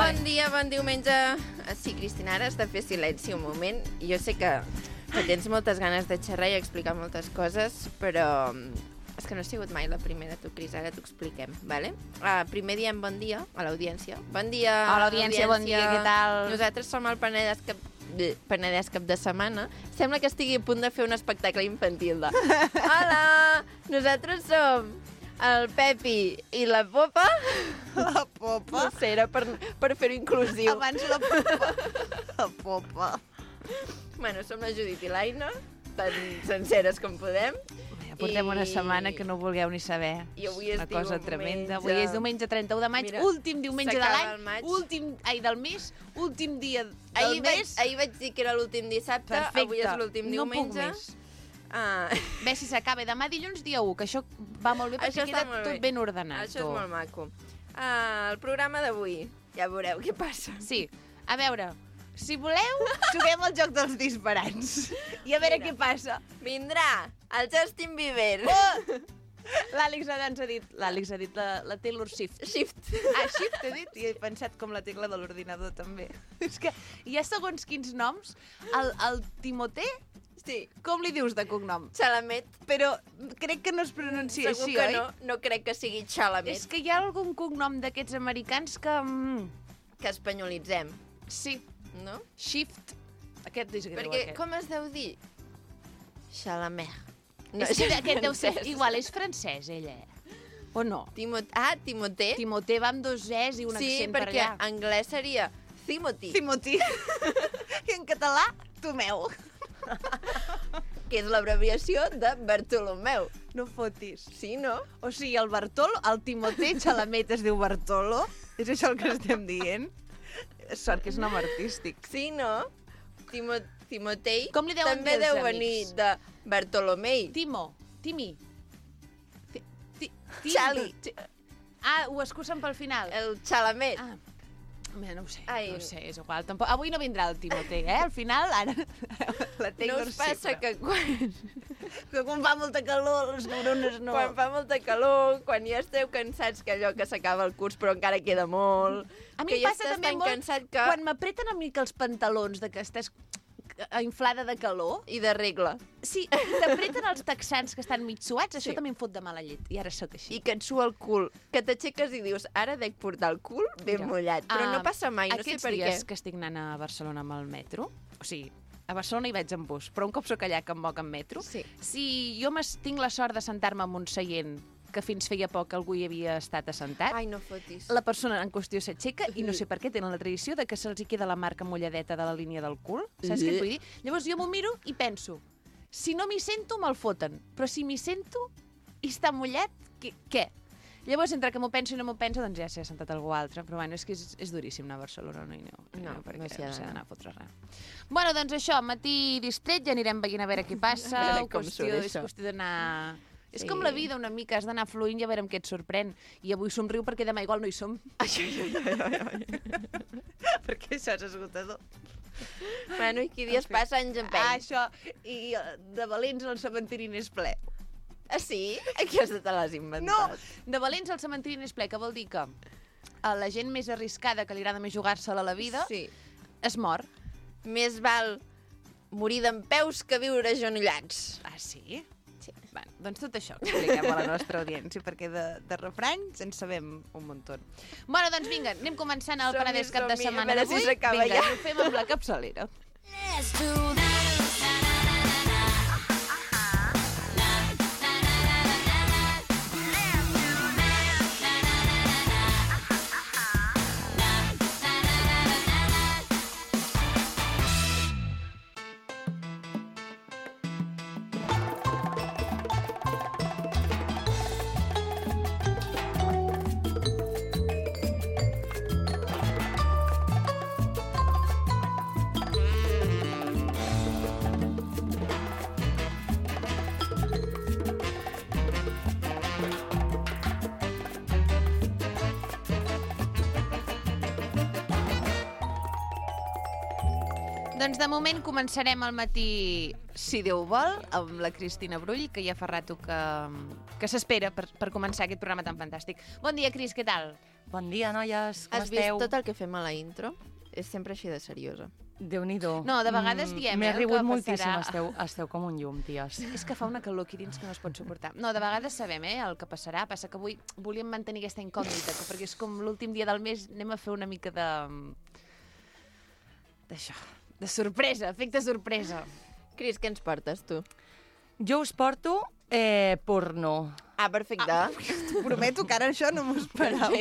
Bon dia, bon diumenge. Sí, Cristina, ara has de fer silenci un moment. Jo sé que tens moltes ganes de xerrar i explicar moltes coses, però és que no ha sigut mai la primera, tu, Cris, ara t'ho expliquem, vale? Primer diem bon dia a l'audiència. Bon dia, hola, audiència, bon dia, què tal? Nosaltres som el Penedès Cap de Setmana. Sembla que estigui a punt de fer un espectacle infantil de... Hola! Nosaltres som el Pepi i la Popa. La Popa? No sé, era per fer-ho inclusiu. Abans la Popa. La Popa. Bueno, som la Judit i l'Aina, tan senceres com podem. Portem una setmana que no vulgueu ni saber. I avui és una cosa diumenge. tremenda. Avui és diumenge 31 de maig, Mira, últim diumenge de s'acaba el l'any, maig. del mes, últim dia del mes. Ahir vaig dir que era l'últim dissabte, Perfecte. avui és l'últim diumenge. No puc més. Bé, si s'acaba demà dilluns dia 1, que això va molt bé perquè queda tot ben ordenat. Això és molt maco. El programa d'avui, ja veureu què passa. Sí, a veure, si voleu, juguem al joc dels disparats. I a veure què passa. Vindrà el Justin Bieber. Oh! L'Àlex ha dit la Taylor Swift. Shift. Shift he dit, i he pensat com la tecla de l'ordinador també. És que hi ha segons quins noms. El Timothée, sí. Com li dius de cognom? Chalamet. Però crec que no es pronuncia Segur així, que oi? no crec que sigui Chalamet. És que hi ha algun cognom d'aquests americans que... Que espanyolitzem. Sí. No? Shift. Aquest és greu, perquè aquest. com es deu dir? Chalamet. No, és que aquest deu ser... Igual és francès, ella. O no? Timothée. Timothée va amb dos es i un accent per allà. Sí, perquè anglès seria Timothy. Timothy. I en català, Tomeu. Que és l'abreviació de Bartolomeu. No fotis. Sí, no? O sigui, el Bartolo, el Timothée Chalamet es diu Bartolo. És això el que estem dient? Sort que és nom artístic. Sí, no? Timotei Com li deuen també dir els deu amics? venir de Bartolomei. Timi. Xali. Ho escussen pel final. El Chalamet. Mira, no ho sé, Ai. no ho sé, és igual. Tampoc... Avui no vindrà el Timothée, Al final, ara... La No us passa que quan fa molta calor, les neurones no... Quan fa molta calor, quan ja esteu cansats, que allò que s'acaba el curs però encara queda molt... A mi que em ja passa estàs també tan molt cansat que... quan m'apreten una mica els pantalons de que estàs inflada de calor. I de regla. Sí, i t'apreten els texans que estan mig suats, això Sí. també em fot de mala llet. I ara sóc així. I que et sua el cul. Que t'aixeques i dius, ara dec portar el cul ben mullat. Però no passa mai, no sé per què. Aquests dies que estic anant a Barcelona amb el metro, o sigui, a Barcelona hi vaig en bus, però un cop sóc allà que em moc en metro, Sí. si jo tinc la sort de sentar-me en un seient que fins feia poc algú hi havia estat assentat, Ai, no fotis. la persona en qüestió s'aixeca i no sé per què tenen la tradició de que se'ls hi queda la marca mulladeta de la línia del cul. Saps què et vull dir? Llavors jo m'ho miro i penso, si no m'hi sento, me'l foten. Però si m'hi sento i està mullat, què? Llavors, entre que m'ho penso i no m'ho penso, doncs ja s'hi ha sentat algú altre. Però bueno, és que és duríssim anar a Barcelona, no hi aneu. No, perquè no s'hi ha d'anar. s'ha d'anar a fotre res. Bueno, doncs això, matí distret, ja anirem veient a veure què passa. A veure com surt És això. qüestió d'anar... És Sí. com la vida una mica, has d'anar fluint i a veure què et sorprèn. I avui somriu perquè demà igual no hi som. Perquè això és esgotador. Bueno, i qui dies passa anys empeny. Això, i de valents el cementiri n'és ple. Ah, sí? Aquesta te l'has inventat. No, de valents el cementiri n'és ple, que vol dir que la gent més arriscada, que li agrada més jugar-se-la la vida, Sí. es mor. Més val morir dempeus que viure agenollats. Ah, sí? Sí. Bueno, doncs tot això que expliquem a la nostra audiència, perquè de refranys en sabem un muntó. Bueno, doncs vinga, anem començant el Som-hi, Penedès cap de som-hi, a setmana veure si d'avui. s'acaba Vinga, ja. ho fem amb la capçalera. Let's do that. Doncs de moment començarem al matí, si Déu vol, amb la Cristina Brull, que ja fa rato que s'espera per començar aquest programa tan fantàstic. Bon dia, Cris, què tal? Bon dia, noies, com Has vist esteu? tot el que fem a la intro? És sempre així de seriosa. Déu-n'hi-do. No, de vegades diem, M'he el que rigut moltíssim, passarà. esteu com un llum, ties. És que fa una calor aquí dins que no es pot suportar. No, de vegades sabem, el que passarà. Passa que avui volíem mantenir aquesta incògnita, perquè és com l'últim dia del mes, anem a fer una mica d'això, de sorpresa, efecte sorpresa. Cris, què ens portes, tu? Jo us porto porno. Ah, perfecte. T'ho prometo que ara això no m'ho esperava.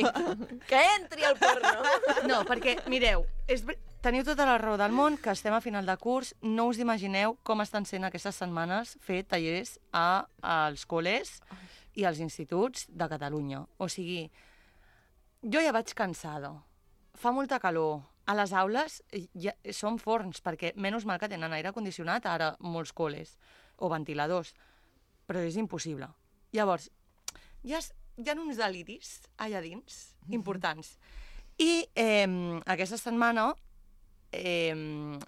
Que entri al porno! No, perquè, mireu, teniu tota la raó del món, que estem a final de curs, no us imagineu com estan sent aquestes setmanes fer tallers als col·les i als instituts de Catalunya. O sigui, jo ja vaig cansada. Fa molta calor. A les aules ja són forns, perquè menys mal que tenen aire condicionat ara molts col·les, o ventiladors, però és impossible. Llavors, hi ha uns deliris allà dins, importants. I aquesta setmana,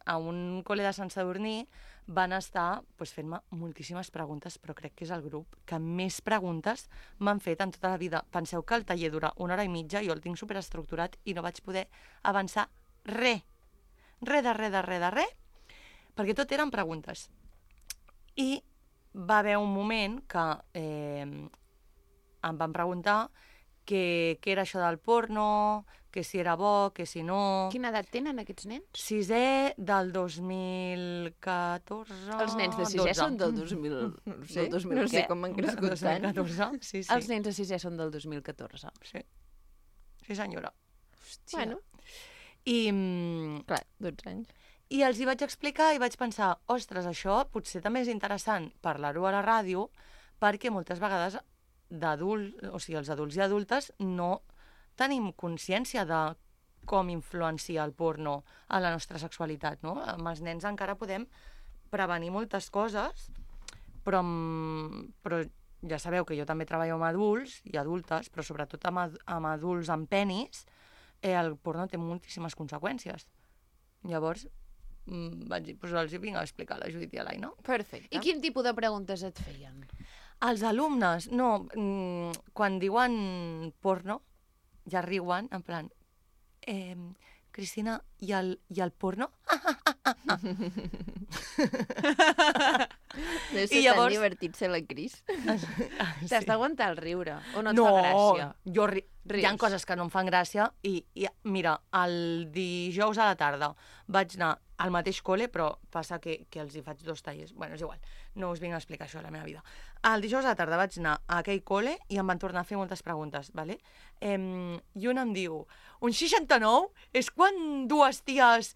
a un col·le de Sant Sadurní, van estar fent-me moltíssimes preguntes, però crec que és el grup que més preguntes m'han fet en tota la vida. Penseu que el taller dura 1 hora i mitja, jo el tinc superestructurat i no vaig poder avançar res, perquè tot eren preguntes. I va haver un moment que em van preguntar què era això del porno, que si era bo, que si no... Quina edat tenen aquests nens? Sisè del 2014... Els nens de sisè 12. són del 2000... No sé, del 2000 no sé què? com han crescut tant. 2014, sí. Els nens de sisè són del 2014. Sí, senyora. Hòstia. Bueno, I, clar, 12 anys. I els hi vaig explicar i vaig pensar, ostres, això potser també és interessant parlar-ho a la ràdio, perquè moltes vegades o sigui, els adults i adultes no tenim consciència de com influencia el porno a la nostra sexualitat, no? Amb els nens encara podem prevenir moltes coses, però ja sabeu que jo també treballo amb adults i adultes, però sobretot amb adults amb penis, el porno té moltíssimes conseqüències. Llavors, vaig dir, els vinc a explicar a la Judit i a l'Aina. Perfecte. I quin tipus de preguntes et feien? Els alumnes, no, quan diuen porno, ja riuen, en plan, Cristina, i el porno? Deu ser llavors- tan divertit ser la Cris. T'has d'aguantar el riure, o no et No, fa gràcia? jo hi ha Rius. coses que no em fan gràcia i mira, el dijous a la tarda vaig anar al mateix col·le, però passa que els hi faig 2 tallers. Bueno, és igual, no us vinc a explicar això a la meva vida. El dijous a la tarda vaig anar a aquell col·le i em van tornar a fer moltes preguntes, ¿vale? I una em diu, un 69 és quan 2 ties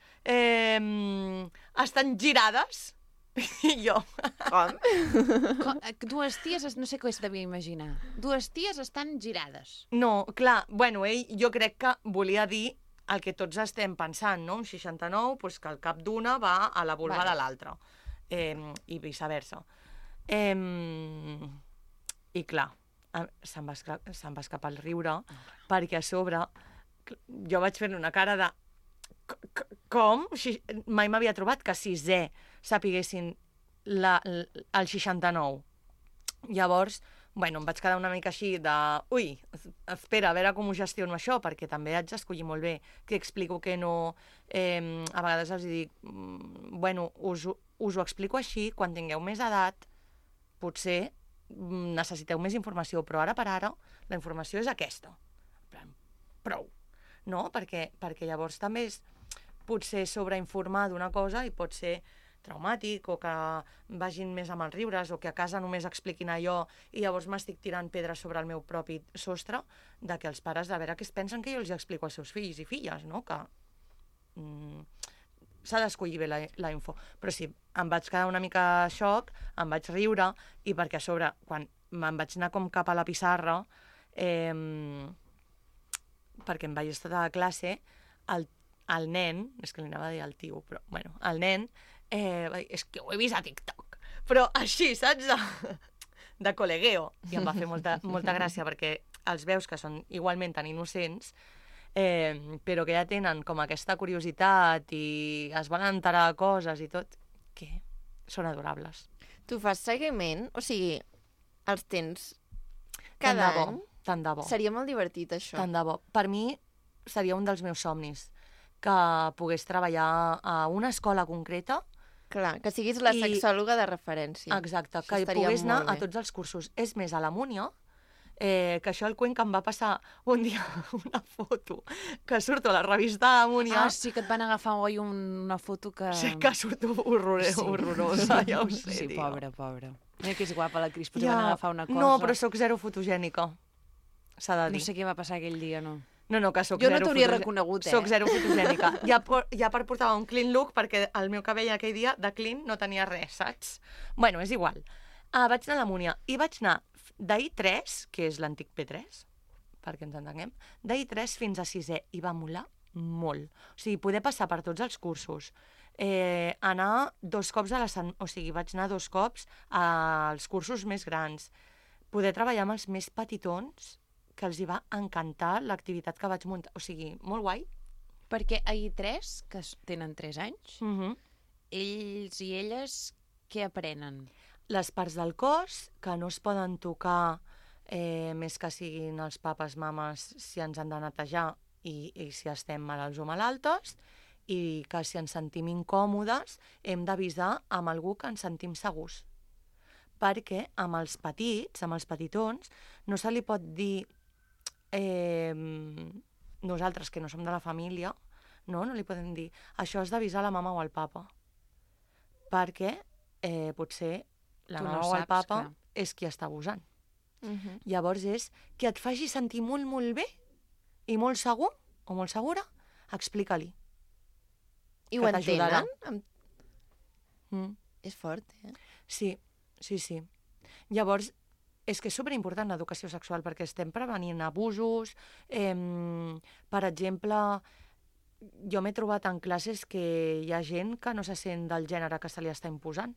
estan girades? I jo... Com? 2 ties, no sé què es devia imaginar. 2 ties estan girades. No, clar, bueno, ell jo crec que volia dir el que tots estem pensant, no? Un 69, doncs que el cap d'una va a la vulva Vale. de l'altra, i viceversa. I clar, se'm va escapar el riure, perquè a sobre jo vaig fer una cara de... Com? Mai m'havia trobat que a sisè sapiguessin el 69. Llavors, bueno, em vaig quedar una mica així de... Ui, espera, a veure com ho gestiono això, perquè també haig d'escollir molt bé què explico, què no... A vegades els dic, bueno, us ho explico així, quan tingueu més edat, potser necessiteu més informació, però ara per ara la informació és aquesta. Prou, no? Perquè llavors també és potser sobreinformar d'una cosa i pot ser traumàtic, o que vagin més amb els riures, o que a casa només expliquin allò i llavors m'estic tirant pedres sobre el meu propi sostre, de que els pares, de veure què es pensen que jo els explico als seus fills i filles, no? Que s'ha d'escollir bé la info. Però sí, em vaig quedar una mica xoc, em vaig riure, i perquè a sobre, quan me'n vaig anar com cap a la pissarra, perquè em vaig estar a classe, el nen, és que li anava a dir el tio, però, bueno, el nen, va dir, és que ho he vist a TikTok, però així, saps? De col·legueo. I em va fer molta gràcia, perquè els veus que són igualment tan innocents, però que ja tenen com aquesta curiositat i es van enterar de coses i tot, que són adorables. Tu fas seguiment? O sigui, els tens Tant cada de bo. any? Tant de bo. Seria molt divertit, això. Tant de bo. Per mi seria un dels meus somnis, que pogués treballar a una escola concreta. Clar, que siguis la I- sexòloga de referència. Exacte, Això que estaria pogués anar molt a bé. tots els cursos. És més, a la Múnia, que això el cuent que em va passar un dia una foto que surto a la revista Múnia. Ah, sí, que et van agafar oi una foto que... Sí, que surto horrorosa, ja ho sé, Sí, tio. pobra. Mira que és guapa la Cris, però Ja. van agafar una cosa... No, però sóc zero fotogènica, s'ha de dir. No sé què va passar aquell dia, no. No, que sóc Jo no zero t'hauria fotogè- reconegut, Soc zero fotogènica. Ja per portar un clean look, perquè el meu cabell aquell dia de clean no tenia res, saps? Bueno, és igual. Vaig anar a la Múnia i vaig anar d'I3, que és l'antic P3, perquè ens entenguem, d'I3 fins a 6è, i va molar molt. O sigui, poder passar per tots els cursos, anar 2 cops a la setmana, o sigui, vaig anar 2 cops als cursos més grans, poder treballar amb els més petitons, que els hi va encantar l'activitat que vaig muntar. O sigui, molt guai. Perquè a I3, que tenen 3 anys, ells i elles què aprenen? Les parts del cos que no es poden tocar més que siguin els papes, mames, si ens han de netejar i si estem malalts o malaltes, i que si ens sentim incòmodes hem d'avisar amb algú que ens sentim segurs. Perquè amb els petits, amb els petitons, no se li pot dir nosaltres, que no som de la família, no li podem dir això has d'avisar la mama o el papa. Perquè potser la Tu no mama o el saps, papa clar. és qui està abusant. Mhm. Llavors és que et faci sentir molt, molt bé i molt segur o molt segura, explica-li. I ho Que t'ajudarà. entenen? Mm. És fort, eh? Sí. Llavors, és que és superimportant l'educació sexual perquè estem prevenint abusos. Per exemple, jo m'he trobat en classes que hi ha gent que no se sent del gènere que se li està imposant.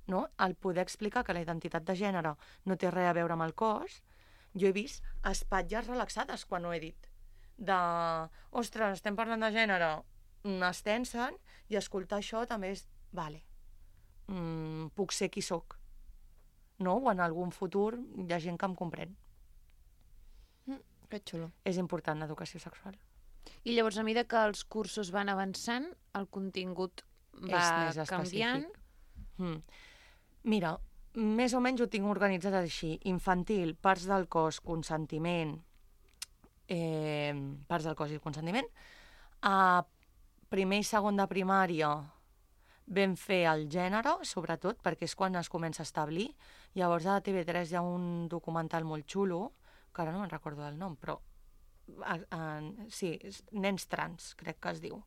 No? El poder explicar que la identitat de gènere no té res a veure amb el cos, jo he vist espatlles relaxades quan ho he dit. Ostres, estem parlant de gènere, es tensen, i escoltar això també és, vale, puc ser qui sóc. No? O en algun futur hi ha gent que em comprèn. Que xulo. És important l'educació sexual. I llavors, a mesura que els cursos van avançant, el contingut va És més canviant. específic. Mira, més o menys ho tinc organitzat així. Infantil, parts del cos, consentiment, parts del cos i consentiment. A primer i segon de primària vam fer el gènere, sobretot, perquè és quan es comença a establir. Llavors a TV3 hi ha un documental molt xulo, que ara no me'n recordo del nom, però sí, nens trans, crec que es diu,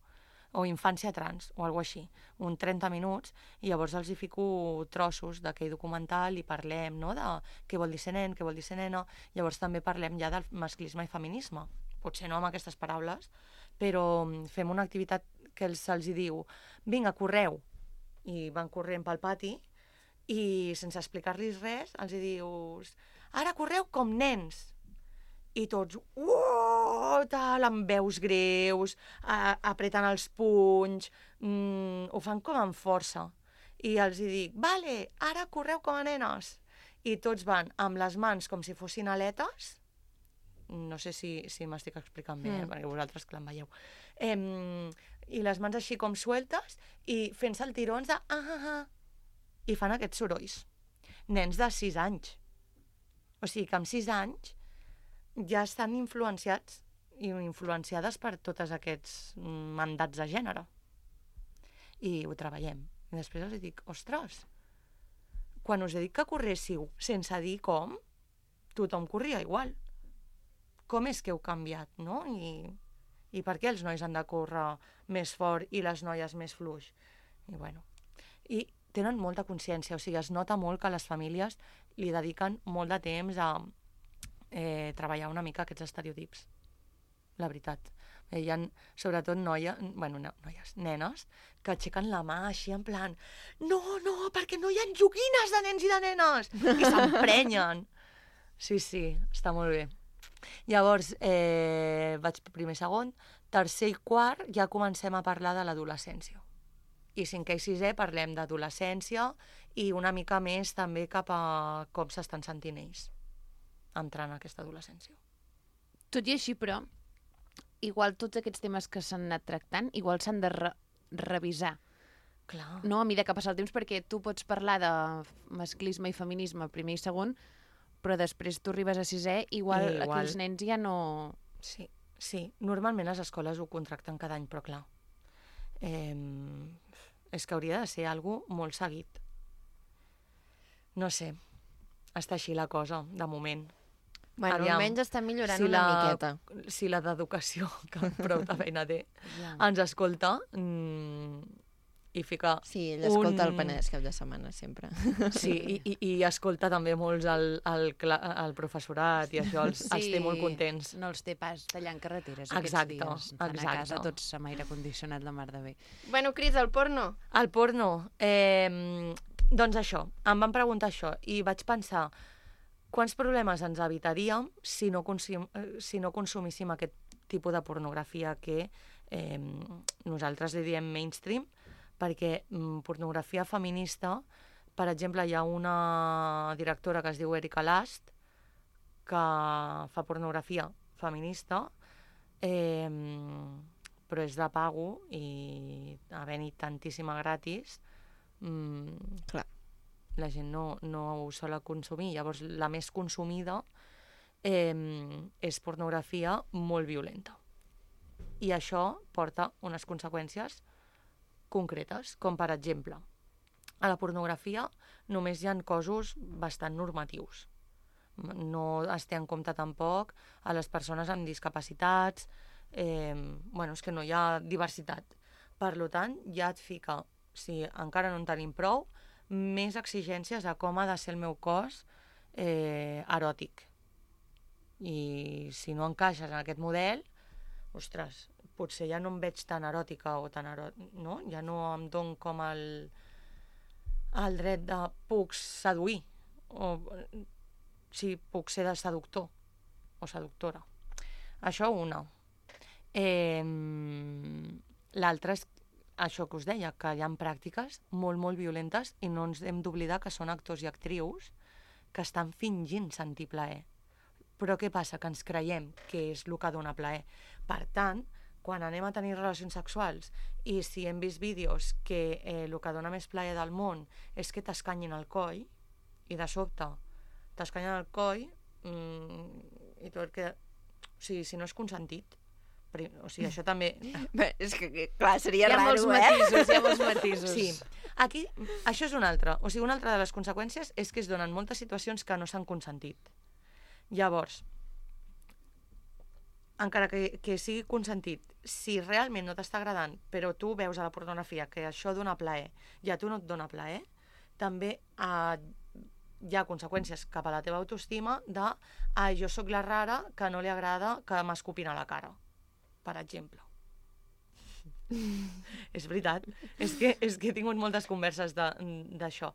o infància trans, o alguna així, un 30 minuts, i llavors els hi fico trossos d'aquell documental i parlem, no?, de què vol dir ser nen, què vol dir ser nena. Llavors també parlem ja del masclisme i feminisme, potser no amb aquestes paraules, però fem una activitat que se'ls hi diu, vinga, correu, i van corrent pel pati, i sense explicar-los res, els hi dius, ara correu com nens. I tots, tal, amb veus greus, apretant els punys, ho fan com amb força. I els hi dic, vale, ara correu com a nenes. I tots van amb les mans com si fossin aletes, no sé si m'estic explicant bé, perquè vosaltres que l'en veieu, i les mans així com sueltes, i fent saltirons de i fan aquests sorolls. Nens de 6 anys. O sigui que amb 6 anys ja estan influenciats i influenciades per tots aquests mandats de gènere. I ho treballem. I després els dic, ostres, quan us he dit que corréssiu sense dir com, tothom corria igual. Com és que heu canviat, no? I per què els nois han de córrer més fort i les noies més fluix? I bueno, i tenen molta consciència, o sigui, es nota molt que les famílies li dediquen molt de temps a treballar una mica aquests estereotips, la veritat. Hi ha, sobretot noies, nenes, que aixequen la mà així en plan no, perquè no hi ha joguines de nens i de nenes! I s'emprenyen. Sí, està molt bé. Llavors, vaig primer, segon, tercer i quart ja comencem a parlar de l'adolescència. I 5è i 6è parlem d'adolescència i una mica més també cap a com s'estan sentint ells entrar en aquesta adolescència. Tot i així, però, igual tots aquests temes que s'han anat tractant, igual s'han de revisar. Clar. No, a mesura que passa el temps, perquè tu pots parlar de masclisme i feminisme primer i segon, però després tu arribes a sisè, igual aquells nens ja no... Sí. Normalment les escoles ho contracten cada any, però clar. És que hauria de ser algo molt seguit. No sé, està així la cosa, de moment. Bueno, Aviam, almenys està millorant una miqueta. Si la d'educació, que prou de feina té, Ja. ens escolta i fica... Sí, ell escolta el Penedès cap de setmana, sempre. Sí, i escolta també molts el professorat i això els té molt contents. No els té pas tallant carreteres Exacte, aquests dies. Estan a exacte. casa tots amb aire condicionat la mar de bé. Bueno, Cris, el porno. El porno, doncs això, em van preguntar això i vaig pensar quants problemes ens evitaríem si no consumíssim aquest tipus de pornografia que nosaltres li diem mainstream, perquè pornografia feminista, per exemple, hi ha una directora que es diu Erika Last, que fa pornografia feminista, però és de pago i havent-hi tantíssima gratis, Clar. la gent no ho sol consumir. Llavors, la més consumida és pornografia molt violenta. I això porta unes conseqüències concretes, com per exemple, a la pornografia només hi ha cossos bastant normatius. No es té en compte tampoc a les persones amb discapacitats, és que no hi ha diversitat. Per tant, ja et fica, si encara no en tenim prou, més exigències a com ha de ser el meu cos eròtic. I si no encaixes en aquest model, ostres, potser ja no em veig tan eròtica o tan no? Ja no em dono com el dret de puc seduir, o si puc ser de seductor o seductora. Això una. L'altra és això que us deia, que hi ha pràctiques molt, molt violentes i no ens hem d'oblidar que són actors i actrius que estan fingint sentir plaer. Però què passa? Que ens creiem que és el que dona plaer. Per tant, quan anem a tenir relacions sexuals i si hem vist vídeos que el que dona més plaer del món és que t'escanyin el coll i de sobte t'escanyen el coll i tot queda... O sigui, si no és consentit, o sigui, això també... Bé, és que, clar, seria Hi ha molts raro, matisos, hi ha molts matisos. Sí. Aquí, això és una altra. O sigui, una altra de les conseqüències és que es donen moltes situacions que no s'han consentit. Llavors, encara que sigui consentit, si realment no t'està agradant, però tu veus a la pornografia que això dona plaer i a tu no et dona plaer, també hi ha conseqüències cap a la teva autoestima de jo sóc la rara que no li agrada que m'escupin a la cara, per exemple. És veritat. És que he tingut moltes converses d'això.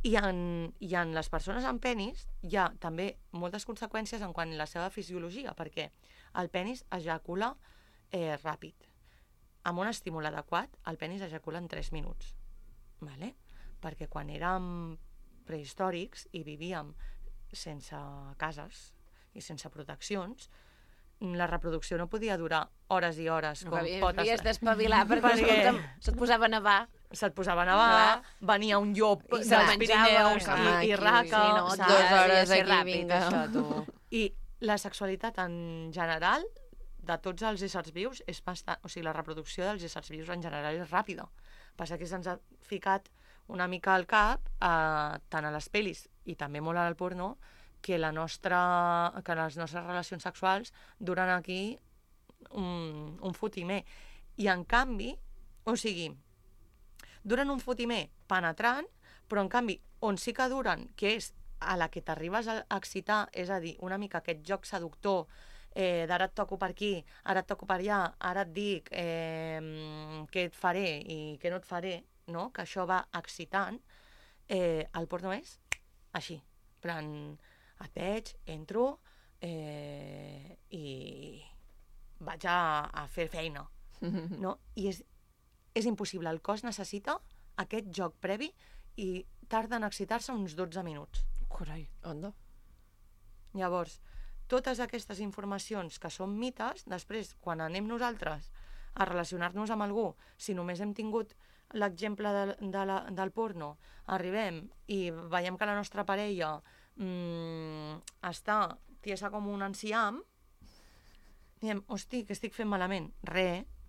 I en les persones amb penis hi ha també moltes conseqüències en quant a la seva fisiologia, perquè el penis ejacula ràpid. Amb un estímul adequat, el penis ejacula en 3 minuts. Vale? Perquè quan érem prehistòrics i vivíem sense cases i sense proteccions, la reproducció no podia durar hores i hores. No, havies d'espavilar perquè se't posava a nevar. Se't posava a nevar, venia un llop dels Pirineus i raca. Sí, no, 2 hores aquí, vinga. I la sexualitat en general, de tots els éssers vius, és bastant... O sigui, la reproducció dels éssers vius en general és ràpida. Passa que se'ns ha ficat una mica al cap, tant a les pel·lis i també molt al porno, que les nostres relacions sexuals duren aquí un fotimer. I en canvi, o sigui, duren un fotimer penetrant, però en canvi, on sí que duren, que és a la que t'arribes a excitar, és a dir, una mica aquest joc seductor, d'ara et toco per aquí, ara et toco per allà, ara et dic què et faré i què no et faré, no? Que això va excitant, el porno és així, en plan, et veig, entro i vaig a fer feina, no? I és impossible, el cos necessita aquest joc previ i tarda en excitar-se uns 12 minuts. Carai. Onda. Llavors, totes aquestes informacions que són mites, després, quan anem nosaltres a relacionar-nos amb algú, si només hem tingut l'exemple del porno, arribem i veiem que la nostra parella està tiesa com un enciam, diem, hosti, què estic fent malament?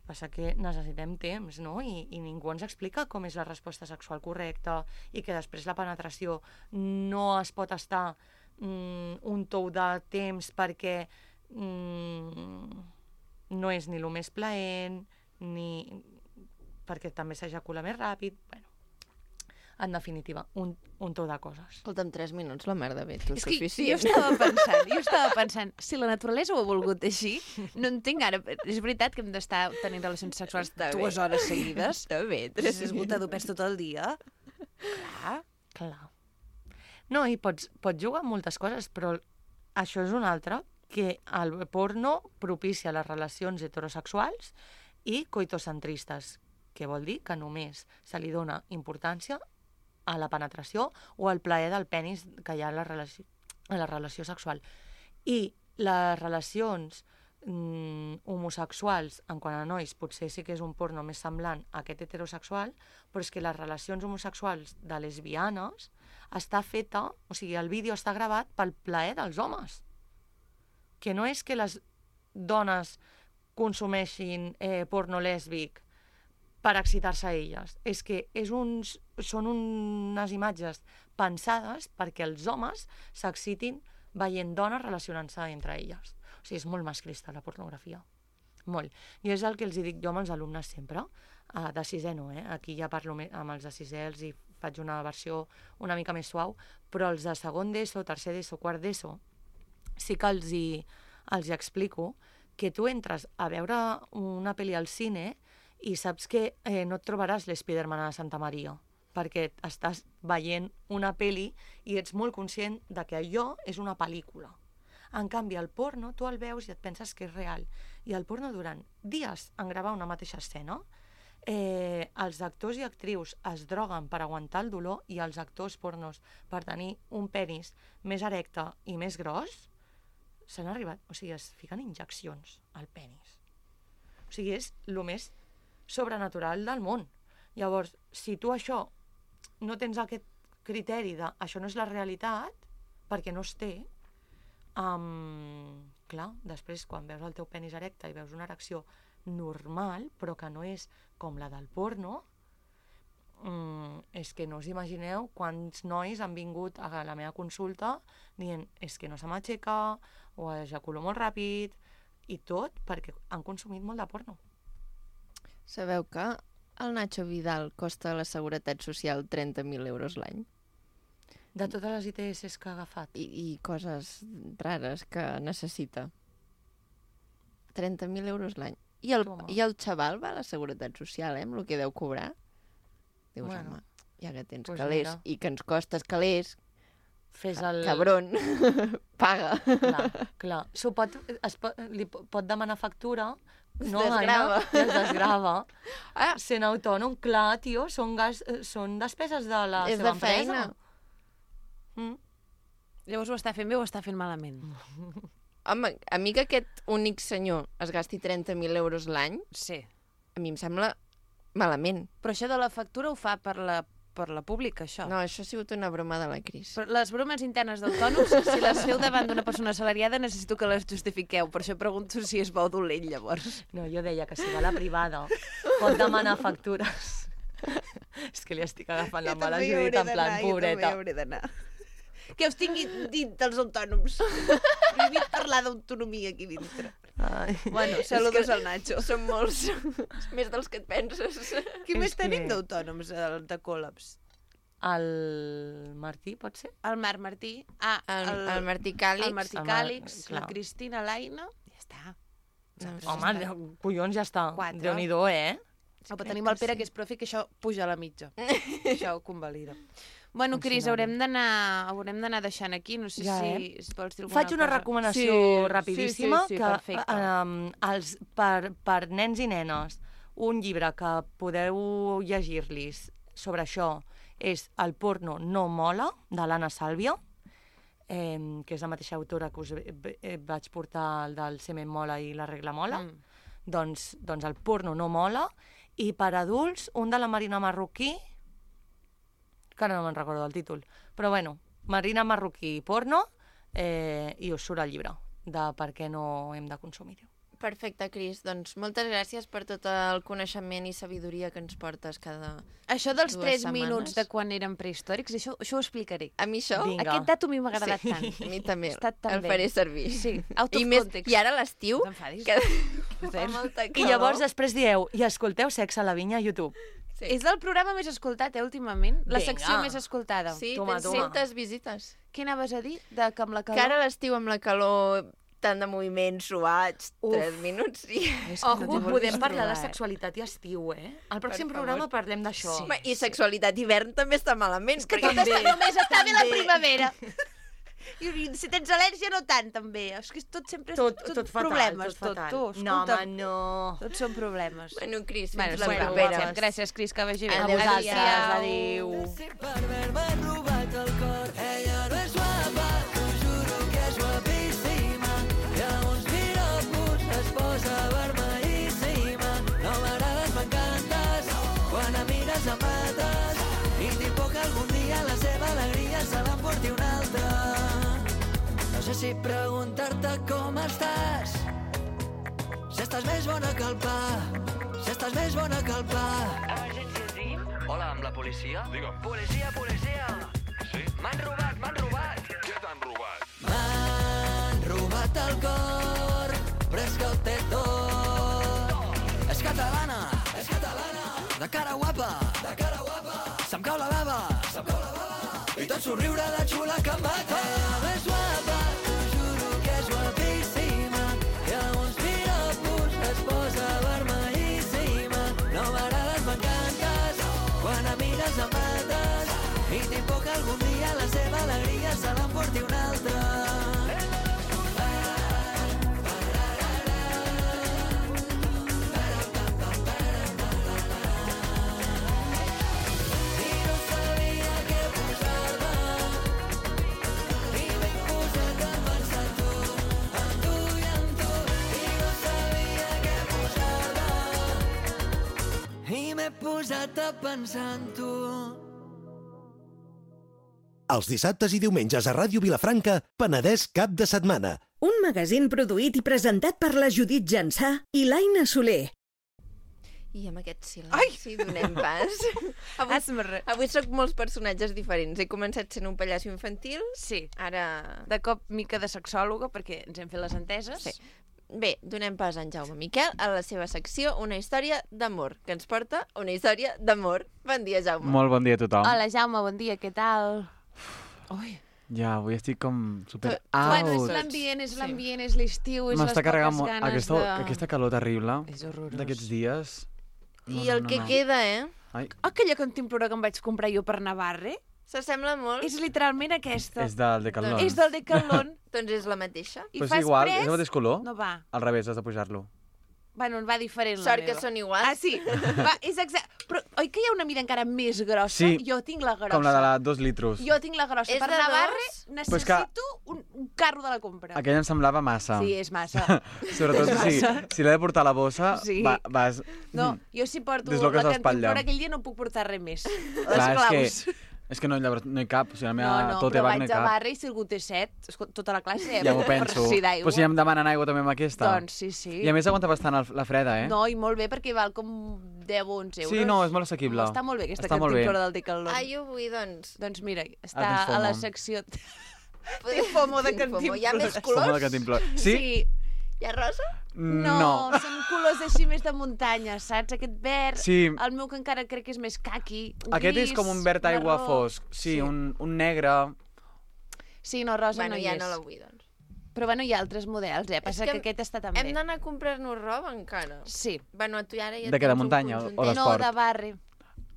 Passa que necessitem temps, no? I ningú ens explica com és la resposta sexual correcta i que després la penetració no es pot estar un tou de temps perquè no és ni el més plaent, ni perquè també s'ejacula més ràpid. Bueno, en definitiva, un tou de coses. Escolta'm, 3 minuts, la merda bé, tu És que suficient. jo estava pensant, si la naturalesa ho ha volgut així, no entenc ara. És veritat que hem d'estar tenint relacions sexuals Està bé. 2 hores seguides. Està bé, És esgotador pes tot el dia. Clar. No, i pots jugar amb moltes coses, però això és una altra, que el porno propicia les relacions heterosexuals i coitocentristes, que vol dir que només se li dona importància a la penetració o al plaer del penis que hi ha a la relació sexual. I les relacions homosexuals, en quant a nois, potser sí que és un porno més semblant a aquest heterosexual, però és que les relacions homosexuals de lesbianes està feta, o sigui, el vídeo està gravat pel plaer dels homes. Que no és que les dones consumeixin porno lèsbic per excitar-se a elles. És que són unes imatges pensades perquè els homes s'excitin veient dones relacionant-se entre elles. O sigui, és molt masclista la pornografia. Molt. I és el que els dic jo amb els alumnes sempre, de sisè no, aquí ja parlo amb els de sisè, els hi faig una versió una mica més suau, però els de segon d'ESO, tercer d'ESO, quart d'ESO, sí que els hi explico que tu entres a veure una pel·li al cine i saps que no et trobaràs l'Spiderman a Santa Maria, perquè estàs veient una pel·li i ets molt conscient de que allò és una pel·lícula. En canvi, el porno, tu el veus i et penses que és real. I el porno, durant dies en gravar una mateixa escena, els actors i actrius es droguen per aguantar el dolor i els actors pornos per tenir un penis més erecte i més gros, s'han arribat, o sigui, es fiquen injeccions al penis. O sigui, és el més sobrenatural del món. Llavors, si tu això no tens aquest criteri de això no és la realitat, perquè no es té, clar, després quan veus el teu penis erecte i veus una erecció normal, però que no és com la del porno, és que no us imagineu quants nois han vingut a la meva consulta dient és que no se m'aixeca o ejaculo molt ràpid i tot perquè han consumit molt de porno. Sabeu que el Nacho Vidal costa a la Seguretat Social 30.000 euros l'any? De totes les ITS que ha agafat. I coses rares que necessita. 30.000 euros l'any. I el xaval va a la Seguretat Social, amb el que deu cobrar. Dius, home, ja que tens pues calés mira. I que ens costes calés, Fes el... cabron, paga. Clar. Li pot demanar factura, no, desgrava. Anna, es desgrava. Sent autònom, clar, tio, són despeses de la És seva de feina. empresa. Llavors ho està fent bé o ho està fent malament? Home, a mi que aquest únic senyor es gasti 30.000 euros l'any, Sí. a mi em sembla malament. Però això de la factura ho fa per la pública, això. No, això ha sigut una broma de la Cris. Però les bromes internes d'autònoms, si les feu davant d'una persona assalariada, necessito que les justifiqueu. Per això pregunto si és bo o dolent, llavors. No, jo deia que si va a la privada pot demanar factures. És que li estic agafant la mala Judit en plan, pobreta. Jo també hauré d'anar. Que us tingui dit els autònoms. Prohibit parlar d'autonomia aquí dintre. Ai. Bueno, saludos al Nacho. Són molts. Més dels que et penses. Qui És més que- tenim d'autònoms de Col·labs? El Martí, pot ser? El Marc Martí. El Martí Càlix. El Martí El Càlix, clar. la Cristina Laina. Ja està. Home, collons, ja està. 4. Déu-n'hi-do, Però tenim el Pere, que és profe, que això puja a la mitja. Això ho convalida. Bueno, Cris, haurem d'anar deixant aquí. No sé Ja, si vols dir alguna Faig una cosa. recomanació rapidíssima Sí, que perfecte. per nens i nenes, un llibre que podeu llegir-los sobre això és El porno no mola, de l'Anna Sàlvia. que és la mateixa autora que us vaig portar el del semen mola i la regla mola, doncs el porno no mola, i per adults, un de la Marina Marroquí, que ara no me'n recordo del títol, però bueno, Marina Marroquí porno, i us surt el llibre de per què no hem de consumir-ho. Perfecte, Cris. Doncs moltes gràcies per tot el coneixement i sabidoria que ens portes cada Això dels 2 3 minuts setmanes. de quan érem prehistòrics, això ho explicaré. A mi això, Vinga. Aquest dato a mi m'ha agradat tant. a mi també, Ha estat tan el bé. faré servir. Sí, out of I, més, context. I ara a l'estiu, No t'enfadis. que Joder. fa molta I calor. llavors després dieu, i escolteu Sexe a la Vinya a YouTube. Sí. És el programa més escoltat, últimament? La Vinga. secció més escoltada. Sí, Toma, tens toma. 100 visites. Què anaves a dir? De que amb la Que calor... ara a l'estiu amb la calor, tant de moviments suats, 3 minuts, sí. És que Ojo, no t'hi vulguis podem parlar de trobar, sexualitat i estiu, Al pròxim Per programa favor. parlem d'això. Sí. I sexualitat d'hivern també està malament. És que perquè- tot està, només està bé la També. primavera. I si tens al·lèrgia, no tant, també. És que tot sempre és Tot fatal, problemes, tot fatal. tu. No, Escolta'm, home, no. tots són problemes. Bueno, Cris, Bueno, fins la bueno, propera. gràcies, Cris, que vagi bé. A Adéu, vosaltres, adéu. adéu. Per haver-me robat el cor. Ella no és guapa, t'ho juro que és guapíssima. I a uns piropos es posa vermellíssima. No m'agrades, m'encantes, quan em mires em mates. I tinc por que algun dia la seva alegria se l'emporti un altre. No sé si preguntar-te com estàs, si estàs més bona que el pa, si estàs més bona que el pa. Hola, amb la policia? Digue'm. Policia, policia! Sí? M'han robat, m'han robat! Què t'han robat? M'han robat el cor, però és que ho té tot. És catalana, de cara guapa, se'm cau la bava, i tot somriure de xula que em mata. Ella és guapa, t'ho juro que és guapíssima, i a uns piropos es posa vermellíssima. No m'agrades, m'encantes, quan em mires em mates, i tinc por que algun dia la seva alegria se l'emporti un altre. I no sabia què posar-me, i m'he posat a pensar en tu, en tu i en tu. I no sabia què posar-me, i m'he posat a pensar en tu. Els dissabtes i diumenges a Ràdio Vilafranca, Penedès cap de setmana. Un magazín produït i presentat per la Judit Jansà i l'Aina Soler. I amb aquest silenci donem pas. Avui sóc molts personatges diferents. He començat sent un pallasso infantil, Sí, ara... de cop mica de sexòloga, perquè ens hem fet les enteses. Sí. Bé, donem pas a en Jaume Miquel a la seva secció Una història d'amor, que ens porta una història d'amor. Bon dia, Jaume. Molt bon dia a tothom. Hola, Jaume, bon dia, què tal? Ui. Ja, avui estic com super Bueno, és out. l'ambient, és Sí. l'ambient, és l'estiu, és les M'està poques carregant molt ganes aquesta calor terrible És horrorós. d'aquests dies. I el que queda, Ai, Aquella cantimplora que em vaig comprar jo per Navarre s'assembla molt? és literalment aquesta. és del Decathlon. És del Decathlon. Doncs és la mateixa. I Però és fas igual, pres... és el mateix color. No va. Al revés, has de pujar-lo. Bueno, va diferent la Sort meva. que són iguals. Ah, sí? Va, és exacte. Però oi que hi ha una mida encara més grossa? Sí. Jo tinc la grossa. Com la de la 2 litros. Jo tinc la grossa. És Per de Navarre dos? necessito Però és que- un carro de la compra. Aquella em semblava massa. Sí, és massa. Sobretot si l'he de portar a la bossa, Sí. vas... No, jo si porto Desloques la l'espatlla. cantimplora aquell dia no puc portar res més. Les Clar, claus. és que no, llavors no hi cap. O sigui, la meva, No, tot però evac no vaig hi a cap. barra i si algú té set, tota la classe, Ja m'ho penso. per si d'aigua. Però si em demanen aigua també amb aquesta. Doncs sí, sí. I a més aguanta bastant la freda, eh? No, i molt bé, perquè val com 10 o 11 euros. Sí, no, és molt assequible. Està molt bé aquesta Està molt bé. cantimplora del Decathlon. Ah, jo vull, doncs... Doncs mira, tens està a la FOMO. secció... Tinc FOMO de Tinc FOMO. Hi ha més Som colors? de cantimplora. Sí? Hi ha rosa? No, són colors així més de muntanya, saps? Aquest verd, Sí. el meu que encara crec que és més caqui, Aquest gris, és com un verd aigua marró. fosc. Sí, un negre... Sí, no, rosa Bueno, no hi ja és. no la vull, doncs. Però bueno, hi ha altres models, Passa que que aquest està també. Hem d'anar a comprar-nos roba encara. Sí. Bueno, tu ara ja De què, de tens un muntanya o conjuntet. de- No, d'esport. de barri.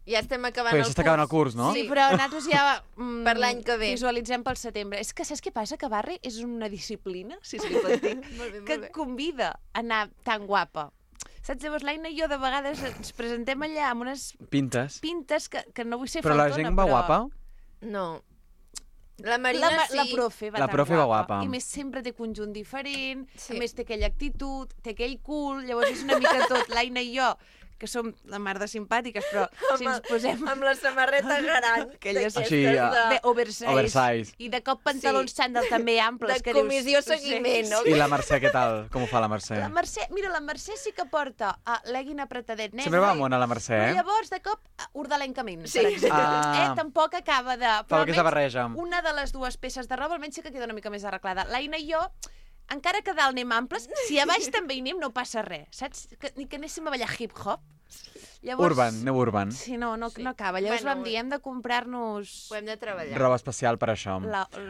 Ja estem acabant Però el ja s'està acabant el curs, no? Sí, però nosaltres ja Per l'any que ve. visualitzem pel setembre. És que saps què passa? Que barri és una disciplina, si se li pot dir, Molt bé, que molt et bé. convida a anar tan guapa. Saps? Llavors l'Aina i jo de vegades ens presentem allà amb unes Pintes. pintes que no vull ser Però la faltona, gent va guapa? No. La Marina sí. La profe va La tan profe va guapa. I més sempre té conjunt diferent, Sí. a més té aquella actitud, té aquell cul, llavors és una mica tot, l'Aina i jo, que som la mar de simpàtiques, però si ens posem Amb la samarreta gran. aquelles Així, de oversize, Oversize. i de cop pantalons xandall també amples, De que comissió dius... seguiment, no? I la Mercè, què tal? Com ho fa la Mercè? La Mercè, mira, la Mercè sí que porta legging apretadet negre. Sempre va mona la Mercè, Però eh? llavors, de cop, ordalencament, Sí. per exemple. Ah. Tampoc acaba de... Fa aquesta almenys barreja. una de les dues peces de roba almenys sí que queda una mica més arreglada. L'Aina i jo, encara que a dalt anem amples, si a baix també hi anem no passa res, saps? Ni que anéssim a ballar hip-hop. Llavors, Urban, aneu urban. Sí, no acaba. Llavors Bueno, vam dir, hem de comprar-nos... Ho hem de treballar. Roba especial per això.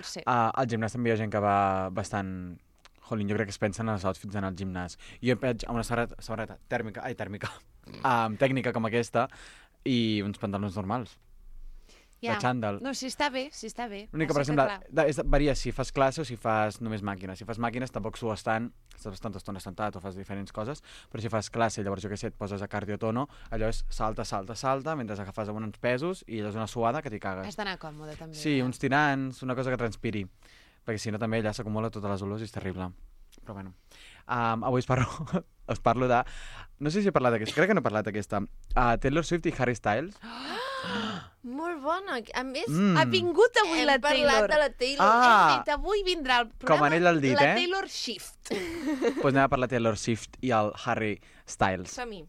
Sí. Al gimnàs també hi ha gent que va bastant... Jolín, jo crec que es pensen en els outfits d'anar al gimnàs. Jo em veig amb una samarreta tècnica com aquesta i uns pantalons normals. De xandall. No, si està bé, si està bé. L'únic que, per exemple, varia si fas classe o si fas només màquines. Si fas màquines tampoc sues tant, estàs tanta estona sentat o fas diferents coses, però si fas classe, llavors jo què sé, et poses a cardiotono, allò és salta, mentre agafes amb uns pesos i allò és una suada que t'hi cagues. Has d'anar còmode, també. Sí, uns tirants, una cosa que transpiri, perquè si no també allà s'acumula totes les olors i és terrible. Però bueno, avui us parlo de... No sé si he parlat d'aquesta, crec que no he parlat d'aquesta. Taylor Swift i Harry Styles. Molt bona. A més, Ha vingut avui la hem Taylor. parlat de la Taylor. Ah. Hem dit, avui vindrà el programa Com anell al dit, la eh? Taylor Shift. Doncs anem a parlar de Taylor Swift i el Harry Styles. Som-hi.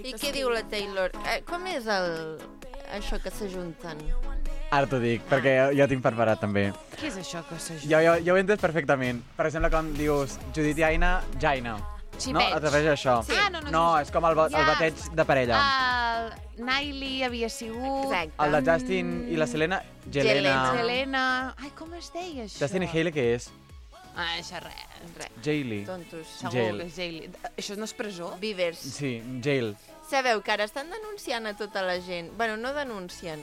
I què diu la Taylor? Com és això que s'ajunten? Ara t'ho dic, perquè jo tinc preparat també. Què és això que s'ajuda? Jo ho he entès perfectament. Per exemple, com dius Judit i Aina, Jaina. Sí, No? Et refereix a això? Sí. Ah, no, No, és com el bateig de parella. El Niley havia sigut... Exacte. El de Justin i la Selena, Jelena. Helena... Ai, com es deia això? Justin i Hailey, què és? Ah, això res. Jailey. Tontos. Segur Jail. que és Jailey. Això no és presó? Beavers. Sí, Jail. Sabeu que ara estan denunciant a tota la gent. Bueno, no denuncien.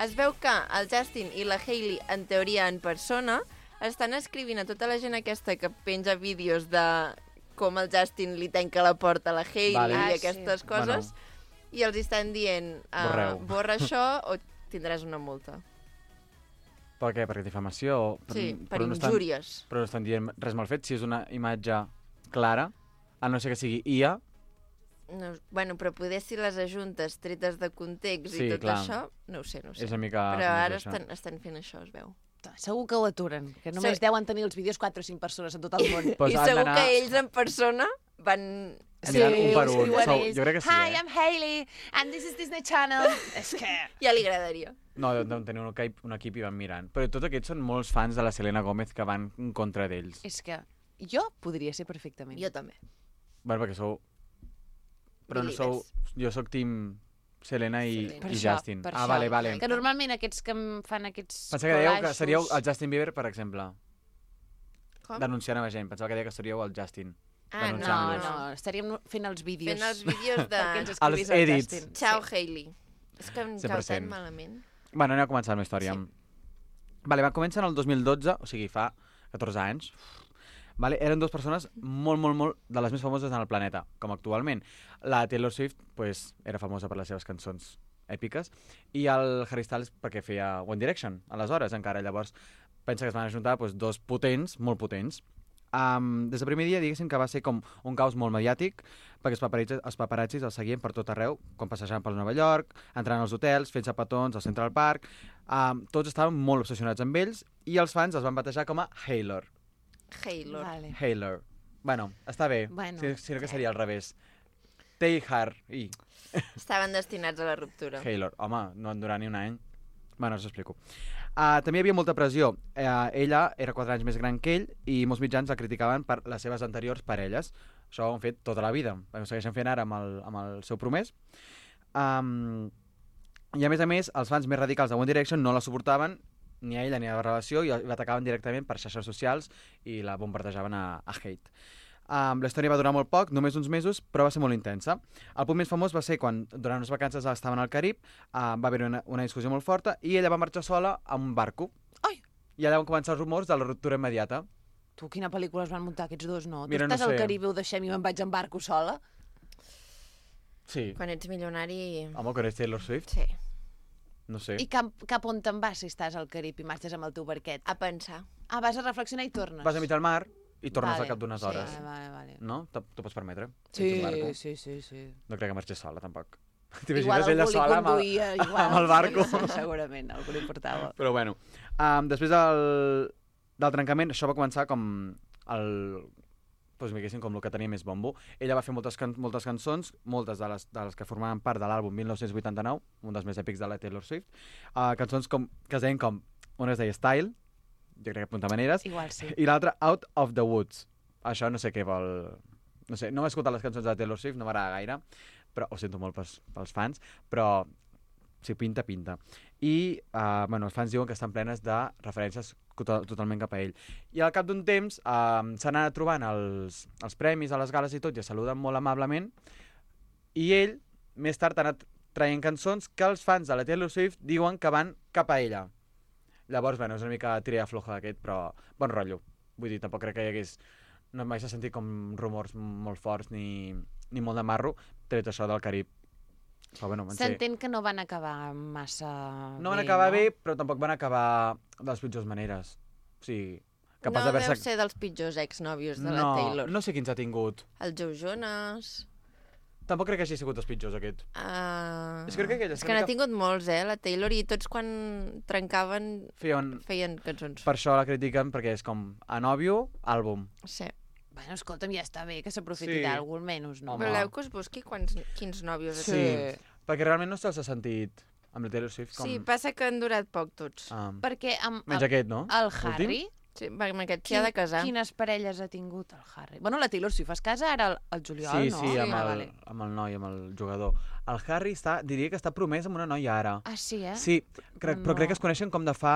Es veu que el Justin i la Hailey, en teoria en persona, estan escrivint a tota la gent aquesta que penja vídeos de com el Justin li tanca la porta a la Hailey Vale. i aquestes coses, i els estan dient Borreu. borra això o tindràs una multa. Per què? Per difamació? Sí, per però no injúries. Però no estan dient res mal fet. Si és una imatge clara, a no ser que sigui IA, No, bueno, però poder si les ajuntes tretes de context Sí, i tot clar. això, no ho sé. és una mica... Però ara això. estan fent això, es veu. Segur que l'aturen, que només Sí. deuen tenir els vídeos 4 o 5 persones en tot el món. Pues I han segur d'anar- que ells en persona van... Aniran un per un. diuen Sou- ells, jo crec que sí, Hi, eh? I'm Hailey, and this is Disney Channel. És que... Ja li agradaria. No, deuen tenir un equip i van mirant. Però tots aquests són molts fans de la Selena Gomez que van en contra d'ells. És que jo podria ser perfectament. Jo també. Bueno, perquè sou... Però no sou... Jo sóc team Selena i Per i això, Justin. per Ah, això. vale. Que normalment aquests que em fan aquests Pensava que dèieu que collages- seríeu el Justin Bieber, per exemple. Com? Denunciant a la gent. Pensava que deia que seríeu el Justin. Ah, no, denunciant-los. No, estaríem fent els vídeos. Fent els vídeos de... Perquè ens Els escrivís el edits. Justin. Ciao, Hailey. És que em cau 100%. tan malament. Bueno, anem a començar la meva història. Sí. Vale, va començar en el 2012, o sigui, fa 14 anys. Vale, eren dues persones molt de les més famoses en el planeta, com actualment. La Taylor Swift pues, era famosa per les seves cançons èpiques i el Harry Styles perquè feia One Direction, aleshores encara. Llavors, pensa que es van ajuntar pues, dos potents, molt potents. Des del primer dia, diguéssim que va ser com un caos molt mediàtic, perquè els paparazzis els seguien per tot arreu, quan passejaven per Nova York, entrant als hotels, fent petons al Central Park. Tots estaven molt obsessionats amb ells i els fans els van batejar com a Hailor. Hailor. Vale. Hailor. Bueno, està bé, Bueno, sinó que seria al revés. Taylor i Estaven destinats a la ruptura. Hailor. Home, no en durarà ni un any. Bueno, us ho explico. També hi havia molta pressió. Ella era 4 anys més gran que ell i molts mitjans la criticaven per les seves anteriors parelles. Això ho han fet tota la vida. Ho segueixen fent ara amb el seu promès. I a més, els fans més radicals de One Direction no la suportaven ni a ella ni a la relació i l'atacaven directament per xarxes socials i la bombardejaven a hate. La història va durar molt poc, només uns mesos, però va ser molt intensa. El punt més famós va ser quan, durant unes vacances estaven al Carib, va haver una discussió molt forta i ella va marxar sola amb un barco. Ai! I allà van començar els rumors de la ruptura immediata. Tu, quina pel·lícula es van muntar aquests dos, no? Mira, tu estàs no al sé. Carib i ho deixem i me'n vaig en barco sola? Sí. Quan ets milionari... Home, quan ets Taylor Swift, Sí. no sé. I cap on te'n vas si estàs al Carib i marxes amb el teu barquet? A pensar. Ah, vas a reflexionar i tornes. Vas a mig al mar i tornes Vale, al cap d'unes hores. Sí, vale. No? T'ho pots permetre? Sí, Ets un barco. sí. No crec que marxés sola, tampoc. Igual T'imagines algú ella li sola conduïa, igual. amb el barco? Sí, segurament, algú li portava. Però bueno, després del trencament, això va començar com doncs, diguéssim, com el que tenia més bombo. Ella va fer moltes cançons, moltes de les que formaven part de l'àlbum 1989, un dels més èpics de la Taylor Swift, cançons que es deien com, una es deia Style, jo crec que apunta maneres, Igual sí. i l'altra Out of the Woods. Això no sé què vol... No sé, no he escoltat les cançons de Taylor Swift, no m'agrada gaire, però ho sento molt pels fans, però si pinta. I els fans diuen que estan plenes de referències totalment cap a ell. I al cap d'un temps s'han anat trobant els premis a les gales i tot, i es saluden molt amablement, i ell, més tard, ha anat traient cançons que els fans de la Taylor Swift diuen que van cap a ella. Llavors, és una mica tira floja d'aquest, però bon rotllo. Vull dir, tampoc crec que hi hagués... No mai s'ha sentit com rumors molt forts ni molt de marro, tret això del Carib. Però, bueno, S'entén que no van acabar massa no van bé, acabar no? bé, però tampoc van acabar de les pitjors maneres. O sigui, capaç No d'haver-se... deu ser dels pitjors exnòvios de la Taylor. No sé quins ha tingut. El Joe Jonas... Tampoc crec que hagi sigut els pitjors, aquest. És que crec que ella és que n'ha tingut molts, la Taylor, i tots quan trencaven feien cançons. Per això la critiquen, perquè és com a nòvio, àlbum. Sí. Bueno, escolta'm, ja està bé que s'aprofiti Sí. d'algú, almenys, no? Voleu que us busqui quins nòvios ha Sí, tingut? perquè realment no se'ls ha sentit amb la Taylor Swift com... Sí, passa que han durat poc tots. Perquè amb Menys aquest, no? el L'últim? Harry... Sí, amb aquest s'hi ha de casar. Quines parelles ha tingut el Harry? Bueno, la Taylor Swift es casa ara al juliol, no? Sí, amb el noi, amb el jugador. El Harry diria que està promès amb una noia ara. Ah, sí, eh? Sí, però crec que es coneixen com de fa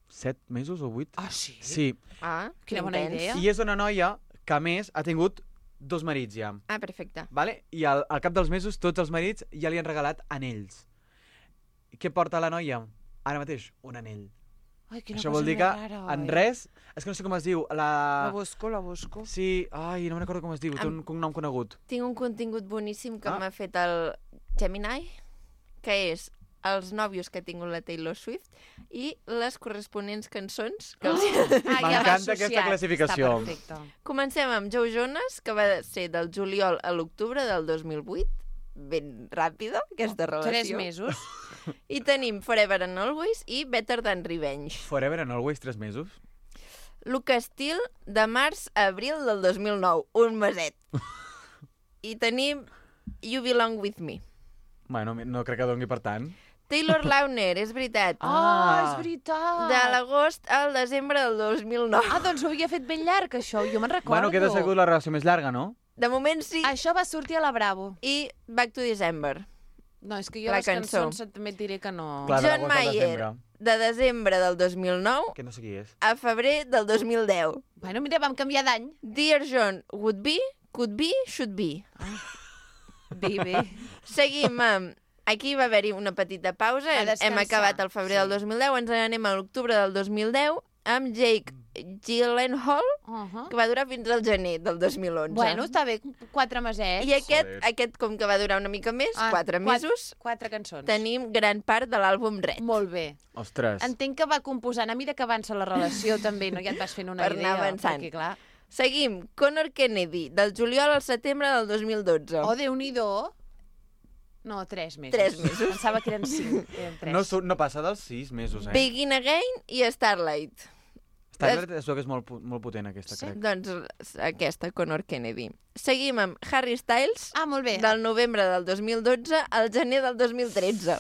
7 mesos o 8. Ah, sí? Sí. Ah, quina bona idea. I és una noia que, a més, ha tingut 2 marits ja. Ah, perfecte. Vale? I al cap dels mesos tots els marits ja li han regalat anells. I què porta la noia? Ara mateix, un anell. Ai, quina Això cosa vol dir més que rara, en oi? res... És que no sé com es diu. La busco. Sí, ai, no me'n recordo com es diu. Té un cognom conegut. Tinc un contingut boníssim que m'ha fet el Gemini, que és els nòvios que ha tingut la Taylor Swift i les corresponents cançons que els... M'encanta aquesta classificació. Està perfecte. Comencem amb Joe Jonas, que va ser del juliol a l'octubre del 2008. Ben ràpida, aquesta relació. 3 mesos. I tenim Forever and Always i Better Than Revenge. Forever and Always, 3 mesos. Lucas Steele, de març a abril del 2009. Un meset. I tenim You Belong With Me. Bueno, no crec que doni per tant. Taylor Lautner, és veritat. És veritat. De l'agost al desembre del 2009. Ah, doncs ho havia fet ben llarg, això. Jo me'n recordo. Bueno, queda segur la relació més llarga, no? De moment sí. Això va sortir a la Bravo. I Back to December. No, és que jo La les cançó. cançons també et diré que no... Clar, de John l'agost al Mayer, desembre. de desembre del 2009 Que no sé qui és. a febrer del 2010. Bueno, mira, vam canviar d'any. Dear John, would be, could be, should be. Bé. Seguim amb... Aquí va haver-hi una petita pausa. A descansar. Hem acabat al febrer del 2010. Ens n'anem a l'octubre del 2010 amb Jake Gyllenhaal, que va durar fins al gener del 2011. Bueno, està bé, 4 mesets. I aquest, com que va durar una mica més, 4 mesos, 4 cançons. tenim gran part de l'àlbum Red. Molt bé. Ostres. Entenc que va composant. A mesura que avança la relació també, no? Ja et vas fent una Per idea. anar avançant. Perquè, clar... Seguim. Conor Kennedy, del juliol al setembre del 2012. Oh, Déu-n'hi-do. No, 3 mesos. 3 mesos. Pensava que eren 5. Eren 3. No passa dels 6 mesos, eh? Begin Again i Starlight. Starlight és que és molt potent, aquesta, crec. Doncs aquesta, Conor Kennedy. Seguim amb Harry Styles, molt bé. del novembre del 2012 al gener del 2013.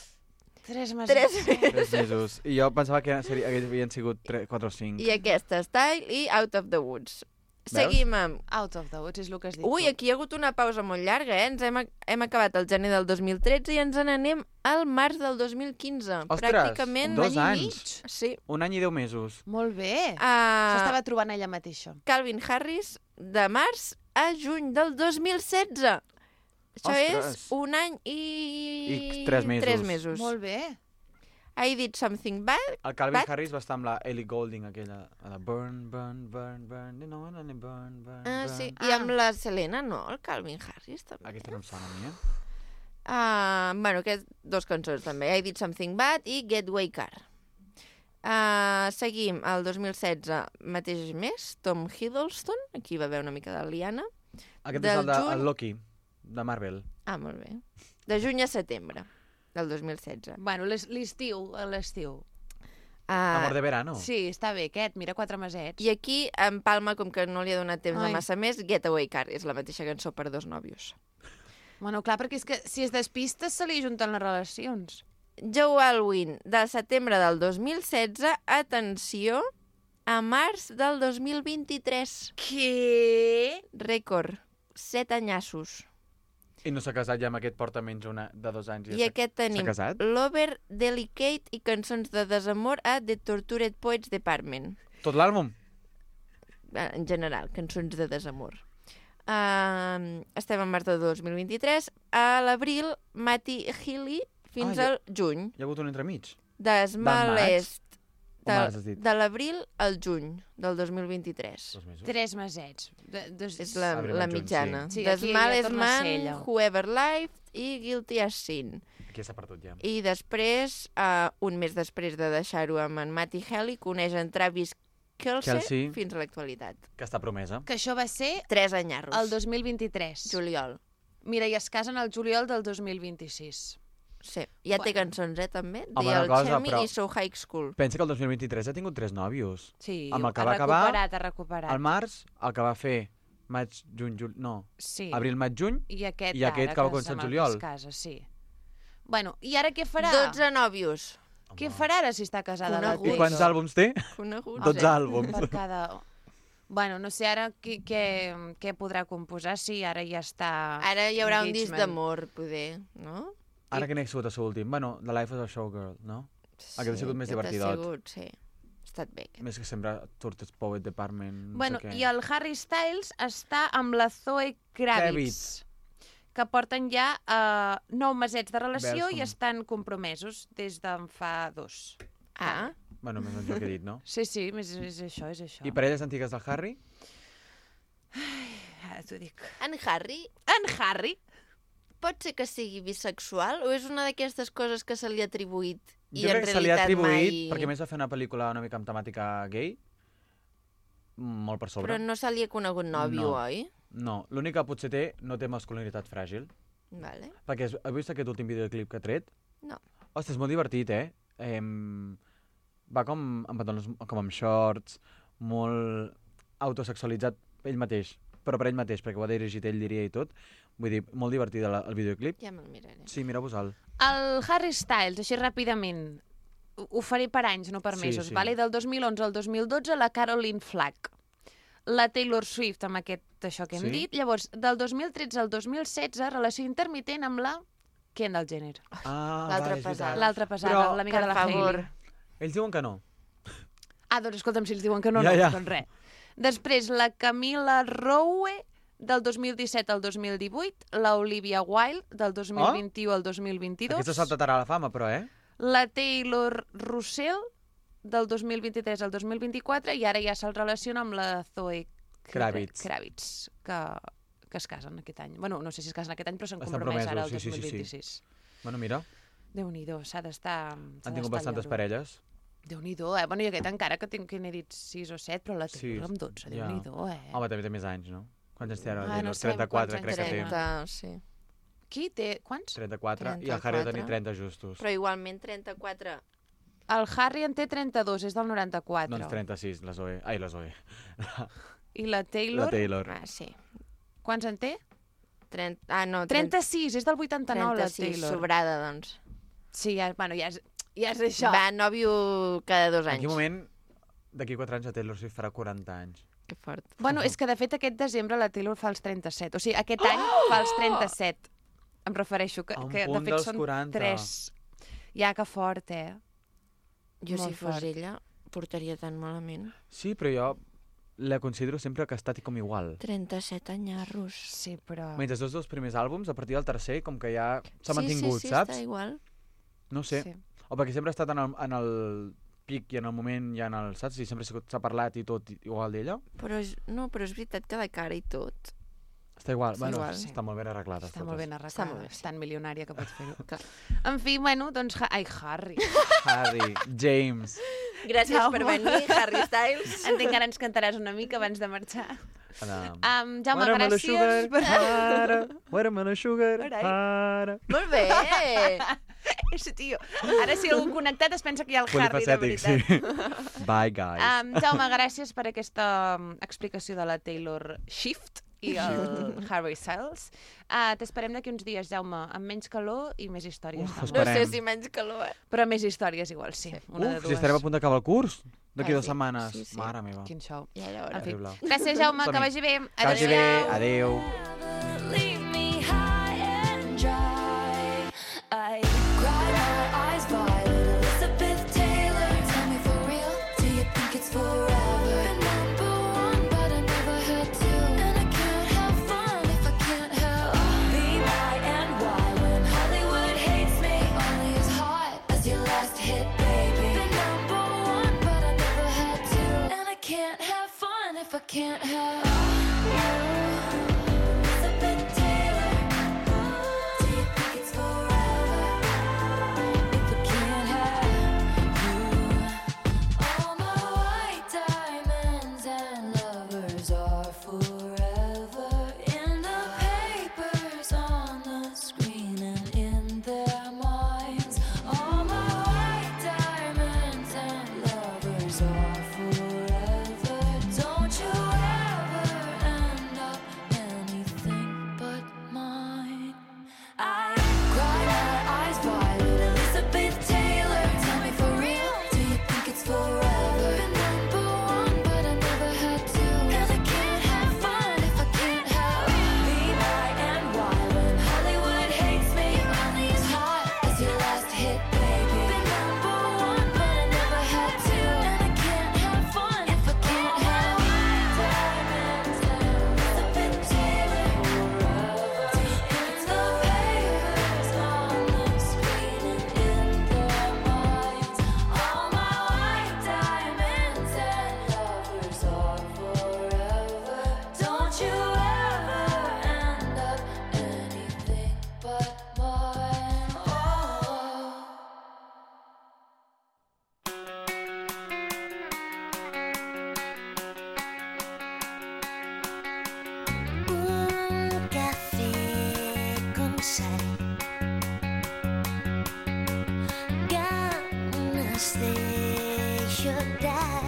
3 mesos. 3 mesos. 3 mesos. I jo pensava que havien sigut 4 o 5. I aquesta, Style i Out of the Woods. Seguim amb... Out of the woods és el que has dit Ui, tu. aquí hi ha hagut una pausa molt llarga, eh? Hem acabat el gener del 2013 i ens n'anem al març del 2015. Ostres, Pràcticament 2 un any i anys. mig. Sí. 1 any i 10 mesos. Molt bé. Uh, S'estava trobant ella mateixa. Calvin Harris, de març a juny del 2016. Això Ostres. és 1 any i... 3 mesos. 3 mesos. Molt bé. I did something bad. El Calvin But- Harris va estar amb la Ellie Goulding, aquella. A la burn, burn, burn, burn, you know, only burn, burn, Ah, burn. sí. I amb la Selena, no? El Calvin Harris, també. Aquesta no em sona a mi, Bueno, aquestes 2 cançons, també. I did something bad i Getaway Car. Seguim, el 2016, mateix mes, Tom Hiddleston. Aquí va haver una mica de liana. Aquest Del és el de juny- el Loki, de Marvel. Molt bé. De juny a setembre del 2016. Bueno, l'estiu. Amor de verano. Sí, està bé aquest, mira, 4 mesets. I aquí, en Palma, com que no li ha donat temps de Ai. massa més, Getaway Car és la mateixa cançó per 2 nòvios. Bueno, clar, perquè és que si es despistes se li junten les relacions. Joe Alwyn, del setembre del 2016, atenció, a març del 2023. Què? Rècord, 7 anyassos. I no s'ha casat ja amb aquest porta menys de 2 anys. I aquest tenim S'ha casat? Lover, Delicate i cançons de desamor a The Tortured Poets Department. Tot l'àlbum? En general, cançons de desamor. Estem en març de 2023. A l'abril, Matty Healy fins al juny. Hi ha hagut un entremig? De Small maig? Est. O març, has dit? De l'abril al juny del 2 2023. mesos. 3 mesets. És la Abril, la juny, mitjana. sí. Sí, The aquí Small ja Est torna a ser Man, ella. Whoever Lived i Guilty as Sin. Aquí s'ha perdut ja. I després, un mes després de deixar-ho amb en Matty Healy, coneix en Travis Kelce fins a l'actualitat. Que està promesa. Que això va ser 3 anyarros. el 2023. Juliol. Mira, i es casen el juliol del 2026. Sí. Ja té cançons, també? Home, The una cosa, Alchemy però- i So High School. Pensa que el 2023 ha tingut 3 nòvios. Sí, Amb el que ha va acabar, ha recuperat. Al març, el que va fer maig, juny, no, Sí. abril, maig, juny, I aquest, i aquest que va començar amb el el juliol. que es casa, sí. Bueno, i ara què farà? 12 nòvios. Què farà ara si està casada? Conegut. I quants àlbums té? Coneguts. 12 àlbums. Per cada... Bueno, no sé ara què podrà composar si ara ja està... Ara hi haurà un disc engagement. d'amor, poder, no? Ara quin ha sigut el seu últim? Bueno, The Life of a Showgirl, no? Aquest ha sigut més aquest divertidot. Ha sigut, sí. Ha estat bé. Aquest. Més que sembla Tortoise Poet Department, no Bueno, sé què. i el Harry Styles està amb la Zoe Kravitz, que porten ja 9 mesets de relació Veus com- i estan compromesos des d'en fa 2. Ah, Bueno, més o menys el que he dit, no? Sí, sí, és això, és això. I parelles antigues del Harry? Ara t'ho dic. en Harry En Harry? pot ser que sigui bisexual o és una d'aquestes coses que se li ha atribuït i Jo en crec que se li ha realitat atribuït, mai... perquè a més va fer una pel·lícula una mica amb temàtica gay, molt per sobre. Però no se li ha conegut nòvio, No. oi? No, l'únic que potser té, no té masculinitat fràgil. Vale. Perquè has vist aquest últim videoclip que ha tret? No. Ostres, és molt divertit, eh? Va com amb pantalons, com amb shorts, molt autosexualitzat ell mateix, però per ell mateix, perquè ho ha dirigit ell, diria, i tot. Vull dir, molt divertit el videoclip. Ja me'l miraré. Sí, mireu-vos-el. El Harry Styles, així ràpidament, ho faré per anys, no per Sí, mesos, sí. vale? Del 2011 al 2012, la Caroline Flack. La Taylor Swift, amb això que hem Sí? dit. Llavors, del 2013 al 2016, relació intermitent amb la Kendall Jenner. Ah, L'altra vale, és pesada. veritat. L'altra pesada, Però, l'amiga de la per favor. Hailey. Ells diuen que no. Ah, doncs escolta'm, si ells diuen que no, Ja, no, ja. doncs res. Després, la Camila Rowe, del 2017 al 2018, la Olivia Wilde, del 2021 al 2022, Aquesta saltarà a la fama, però, eh? la Taylor Russell, del 2023 al 2024, i ara ja se'l relaciona amb la Zoe Kravitz. que es casen aquest any. Bueno, no sé si es casen aquest any, però s'han Estan compromès ara el promesos, sí, sí, sí, 2026. Bueno, mira, Déu-n'hi-do, s'ha d'estar... han tingut bastantes parelles. Déu-n'hi-do, eh? Bueno, i aquest encara que n'he dit 6 o 7, però la Taylor amb 12, ja. Déu-n'hi-do, eh? Home, també té més anys, no? Quants anys té ara? Ah, Taylor? no sabem 34, quants crec que anys té. té. 30, sí. Qui té... Quants? 34, i el Harry ha de tenir 30 justos. Però igualment 34... El Harry en té 32, és del 94. Doncs 36, la Zoe. Ai, la Zoe. I la Taylor? La Taylor. Ah, sí. Quants en té? 30... Ah, no, 36, és del 89, la 36, Taylor. sobrada, doncs. Sí, ja, bueno, ja és això. Va, nòvio cada 2 En anys. quin moment, d'aquí 4 anys, a Taylor Swift farà 40 anys. Que fort. Bueno, és que de fet aquest desembre la Taylor fa els 37. O sigui, aquest any fa els 37. Em refereixo que, A un que de punt fet dels són 40. 3. Ja, que fort, Jo, Molt si fos fort. ella, portaria tan malament. Sí, però jo la considero sempre que ha estat com igual. 37 anyarros. Sí, però... Mentre els dos primers àlbums, a partir del tercer, com que ja s'ha mantingut, sí, saps? està igual. No sé. Sí. O perquè sempre ha estat en el pic i en el moment i en el, saps? I sempre s'ha parlat i tot igual d'ella. Però és veritat que de cara i tot. Està igual. Està Bueno, igual. està molt ben arreglat. Està molt ben arreglada. Està molt bé, sí. És tan milionària que pots fer-ho. En fi, bueno, doncs... Ai, Harry. Harry, James. Gràcies Jaume. per venir, Harry Styles. Entenc que ara ens cantaràs una mica abans de marxar. Jaume, Watermelon gràcies. sugar, ara. Watermelon sugar, Carai. ara. Molt bé! Sí, tio. Ara si algú connectat es pensa que hi ha el Harry, de Polifacètic, veritat. sí. Bye, guys. Jaume, gràcies per aquesta explicació de la Taylor Swift i el Harry Styles. T'esperem d'aquí uns dies, Jaume, amb menys calor i més històries. Uf, d'amor. No sé Esperem. si menys calor, Però més històries igual, sí. Una de Uf, dues. si estarem a punt d'acabar el curs. D'aquí Ah, 2 sí. setmanes. Sí, sí. Mare meva. Quin show. Ja era hora. En fi. Terrible. Gràcies, Jaume, que Som-hi. vagi bé. Que vagi bé. Adéu. Adéu. Leave me high and dry. I cry my eyes violet. Elizabeth Taylor, tell me for real, do you think it's forever? Been number one, but I never had to. And I can't have fun if I can't have be my and why when Hollywood hates me, only as hot as your last hit, baby. Been number one, but I never had to. And I can't have fun if I can't have you. Elizabeth Taylor, do you think it's forever if I can't have you? All my white diamonds and lovers are forever in the papers, on the screen, and in their minds. All my white diamonds and lovers are forever. Don't you ever end up anything but mine. I cry my eyes violet. Elizabeth Taylor, tell me for real, do you think it's forever? Been number one, but I never had to. And I can't have fun if I can't have be my and why when Hollywood hates me, only as hot as your last hit, baby. Been number one, but I never had to. And I can't have fun if I can't have diamonds and Elizabeth Taylor forever. Do you think it's the papers on the screen and in their minds? All my white diamonds and lovers are forever. Don't you ever end up anything but mine. Oh. Un café con sal, ganas de llorar.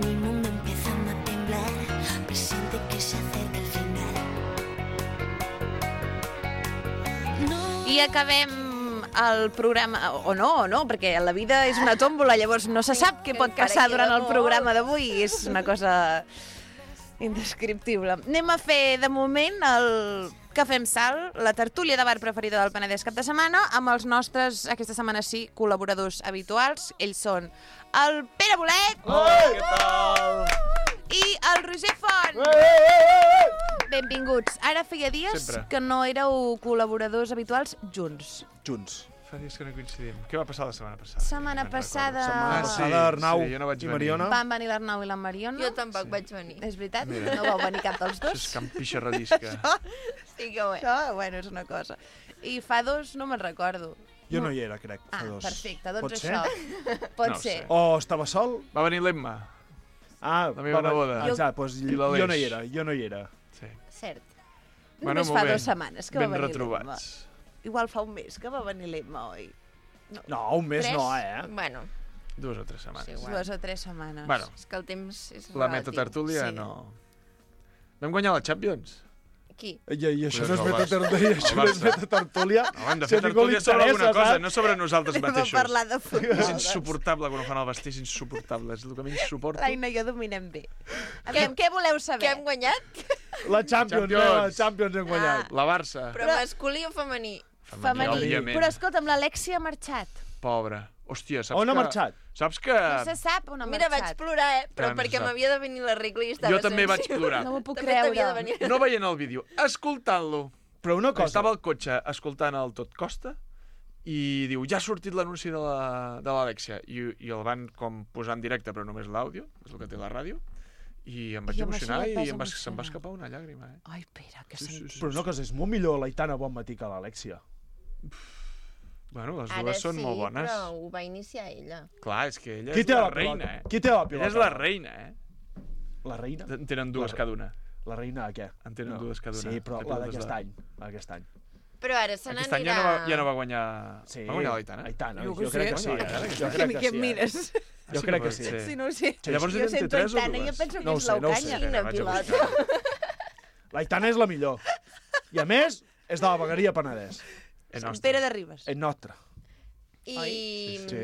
Mi mundo empezando a temblar, presiente que se acerca el final. No. I acabem el programa, o no, perquè la vida és una tòmbola, llavors no se sap què pot encara passar queda durant el molt. programa d'avui, és una cosa indescriptible. Anem a fer, de moment, el Cafè amb Sal, la tertúlia de bar preferida del Penedès cap de setmana, amb els nostres, aquesta setmana sí, col·laboradors habituals. Ells són el Pere Bolet Què tal? i el Roger Font. Benvinguts. Ara feia dies Sempre. que no éreu col·laboradors habituals junts. Junts. Fa dies que no coincidim. Què va passar la setmana passada? Setmana Me'n passada... recordo. Setmana passada, Arnau jo no vaig i venir. Mariona. Van venir l'Arnau i la Mariona. Jo tampoc vaig venir. És veritat? Mira. No vau venir cap dels Això dos? és Can Pixarradisca. Sí que ho és. Això, bueno, és una cosa. I fa dos no me'n recordo. Jo no hi era, crec, fa Ah, dos. perfecte, doncs Pot ser? això. Pot No ho ser. sé. O estava sol? Va venir l'Emma. Ah, La meva neboda. Exacte, doncs I l'Aleix. jo no hi era, jo no hi era. Sí. Cert. Només molt fa bé. 2 setmanes que va Ben venir retrobats. l'Emma. Igual fa un mes que va venir l'Emma, oi? No, un mes Tres? no, eh? Bueno, 2 o 3 setmanes. Sí, igual. 2 o 3 setmanes. Bueno, és que el temps és la relatiu. metatertúlia Sí. no... Vam guanyar la Champions. Qui? I això no és Pues el metatertúlia. No, hem de Si fer a ningú li tertúlia sobre alguna interessa, cosa, saps? no sobre nosaltres Anem a mateixos. parlar de futbol. És insuportable quan ho fan al vestí, és insuportable. És el que menys suporto. L'Aina i jo dominem bé. Aviam, què voleu saber? Què hem guanyat? La Champions, la Champions hem guanyat. La Barça. Però masculí o femení? Femení. òbviament. Però escolta'm, l'Alexia ha marxat. Pobra. Hòstia, saps On ha que... marxat? Saps que... No se sap on ha Mira, vaig marxat. plorar, però Que no perquè sap. m'havia de venir la regla i estava Jo també vaig sensible. plorar. No m'ho puc També t'havia creure. de venir. No veient el vídeo, escoltant-lo. Però una cosa... Estava al cotxe escoltant el Tot Costa i diu, ja ha sortit l'anunci de l'Alexia. I el van com posar en directe, però només l'àudio, és el que té la ràdio. I em vaig I amb emocionar això ja i et vas se'm va emocionar. escapar una llàgrima. Ai, Pere, que Sí, sí, sentit. sí. Però una cosa, és molt millor l'Aitana Bonmatí que l'Alexia. Bueno, les Ara dues són sí, molt bones. però ho va iniciar ella. Clar, és que ella Qui és té la la reina, pilota? Qui té la pilota? Ella és la reina, La reina? En tenen dues La- cada una. La reina de què? En tenen dues cada una. Sí, però Té la pilotes d'aquest de- any. La d'aquest any. Però ara se Aquest any n'anirà... ja no va guanyar... Sí. Va guanyar l'Aitana? Aitana, Jo jo què crec sé. que sí. Bueno, ara que Jo sí. crec Què que em sí. mires? Jo crec que sí. Sí, no ho sé. Llavors jo eren sento tres o Aitana i jo dues? penso que No ho és sé, no ho sé. l'Eucanya. Quina vaig a pilota. L'Aitana és la millor. I a més, és de la vegueria Penedès. És nostre. Pere de Ribes. És nostra. I Sí, sí.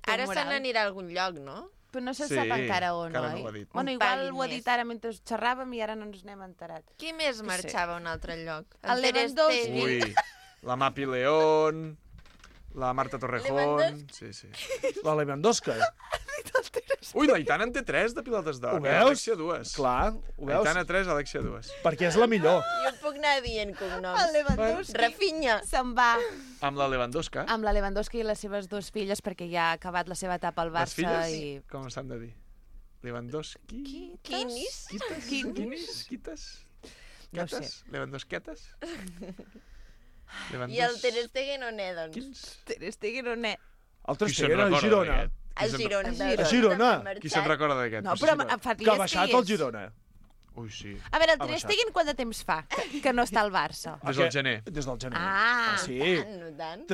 ara Tot se moral. n'anirà a algun lloc, no? Però no se Sí, sap encara on, encara no oi? ho ha dit. Bueno, Un igual paguin ho ha més. dit ara mentre xerràvem i ara no ens n'hem enterat. Qui més sé. marxava a un altre lloc? El Ter Lewandowski. Stegen. Ui, la Mapi León, la Marta Torrejón... Lewandowski. Sí, sí. La Lewandowska. Ui, l'Aitana en té 3 de pilotes d'or. Ho veus? Alexia 2. Clar, ho veus? Aitana 3, Alexia 2. Perquè és la millor. Jo puc anar dient cognoms. El Lewandowski Rafinha. se'n va Amb la Lewandowska. amb la Lewandowski i les seves dues filles perquè ja ha acabat la seva etapa al Les Barça filles, i... com s'han de dir? Lewandowski... Quinis. Quinis? Quites? No ho sé. Quetes? Lewandowsquetes? I el Ter Stegen on és, doncs? Quins? Ter Stegen on és? El Qui se'n Trastiguera, a recorda Girona. d'aquest? A Girona. A Girona. Qui se'n recorda d'aquest? No, Pues però sí, fa Que dies ha baixat hi el és. Girona. Ui, sí. A veure, el Ha Ter baixat. Stegen quant de temps fa que no està al Barça? Des del gener. Des del gener. Ah. Sí. No tant.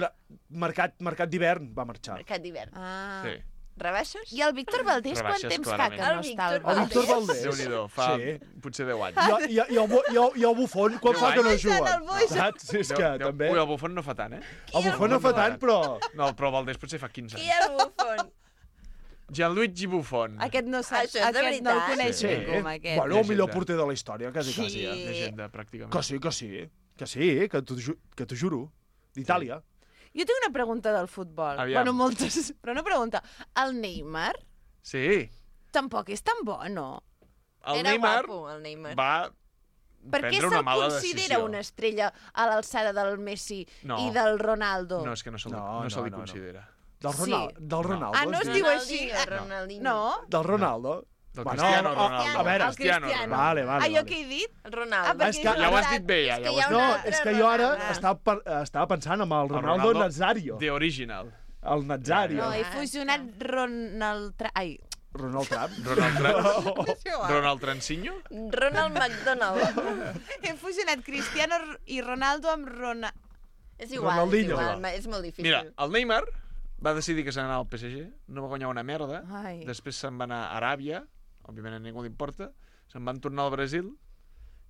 Mercat d'hivern va marxar. Mercat d'hivern. Ah. Sí. Rebaixes? I el Víctor Valdés quant Rebaixes, temps fa clarament. que no El està al Víctor El Barça? Víctor Valdés. Déu-n'hi-do, fa Sí. potser 10 anys. I el Bufon, quan 10 fa que no anys. juga? El Boix. Saps? Sí, és que també... Ui, el Buffon no fa tant, eh? El Bufon no fa tant, però... No, però el Valdés potser fa 15 Qui anys. el Buffon? Gianluigi Buffon. Aquest no sap, Això és de aquest no el veritat? coneix Sí. ningú, amb aquest. Bueno, el millor Llegenda. porter de la història, quasi, quasi. Sí. Llegenda, pràcticament. Que sí, que sí. Que sí, que t'ho juro. D'Itàlia. Jo tinc una pregunta del futbol. Aviam. Bueno, moltes, però una pregunta. El Neymar Sí. tampoc és tan bo, no? El Era Neymar guapo, el Neymar. va Per què prendre una se'l mala considera decisió. una estrella a l'alçada del Messi No. i del Ronaldo? No, és que no se li, No, no se li no, no. considera. Del Sí. Ronaldo. Del Ronaldo. Ah, no es diu així? Ronaldinho. No? Del Ronaldo. Del Bueno, Cristiano a Ronaldo. veure, el Cristiano Cristiano. Vale, Ah, vale. jo què he dit? Ronaldo. Ah, perquè És que- és Ja ho has veritat. dit bé, ja. És que Ja ho hi ha has No, dit una bé. és que jo ara Ronaldo. estava pensant amb el El Ronaldo Nazario. The Original. El Nazario. No, he fusionat Ai, Ronald Trump. Ronald Transinho? Ronald McDonald. he fusionat Cristiano i Ronaldo amb És igual, Ronaldinho. és igual, és molt difícil. Mira, el Neymar va decidir que se n'anava al PSG, no va guanyar una merda, Ai. després se'n va anar a Aràbia, òbviament a ningú li importa, se'n van tornar al Brasil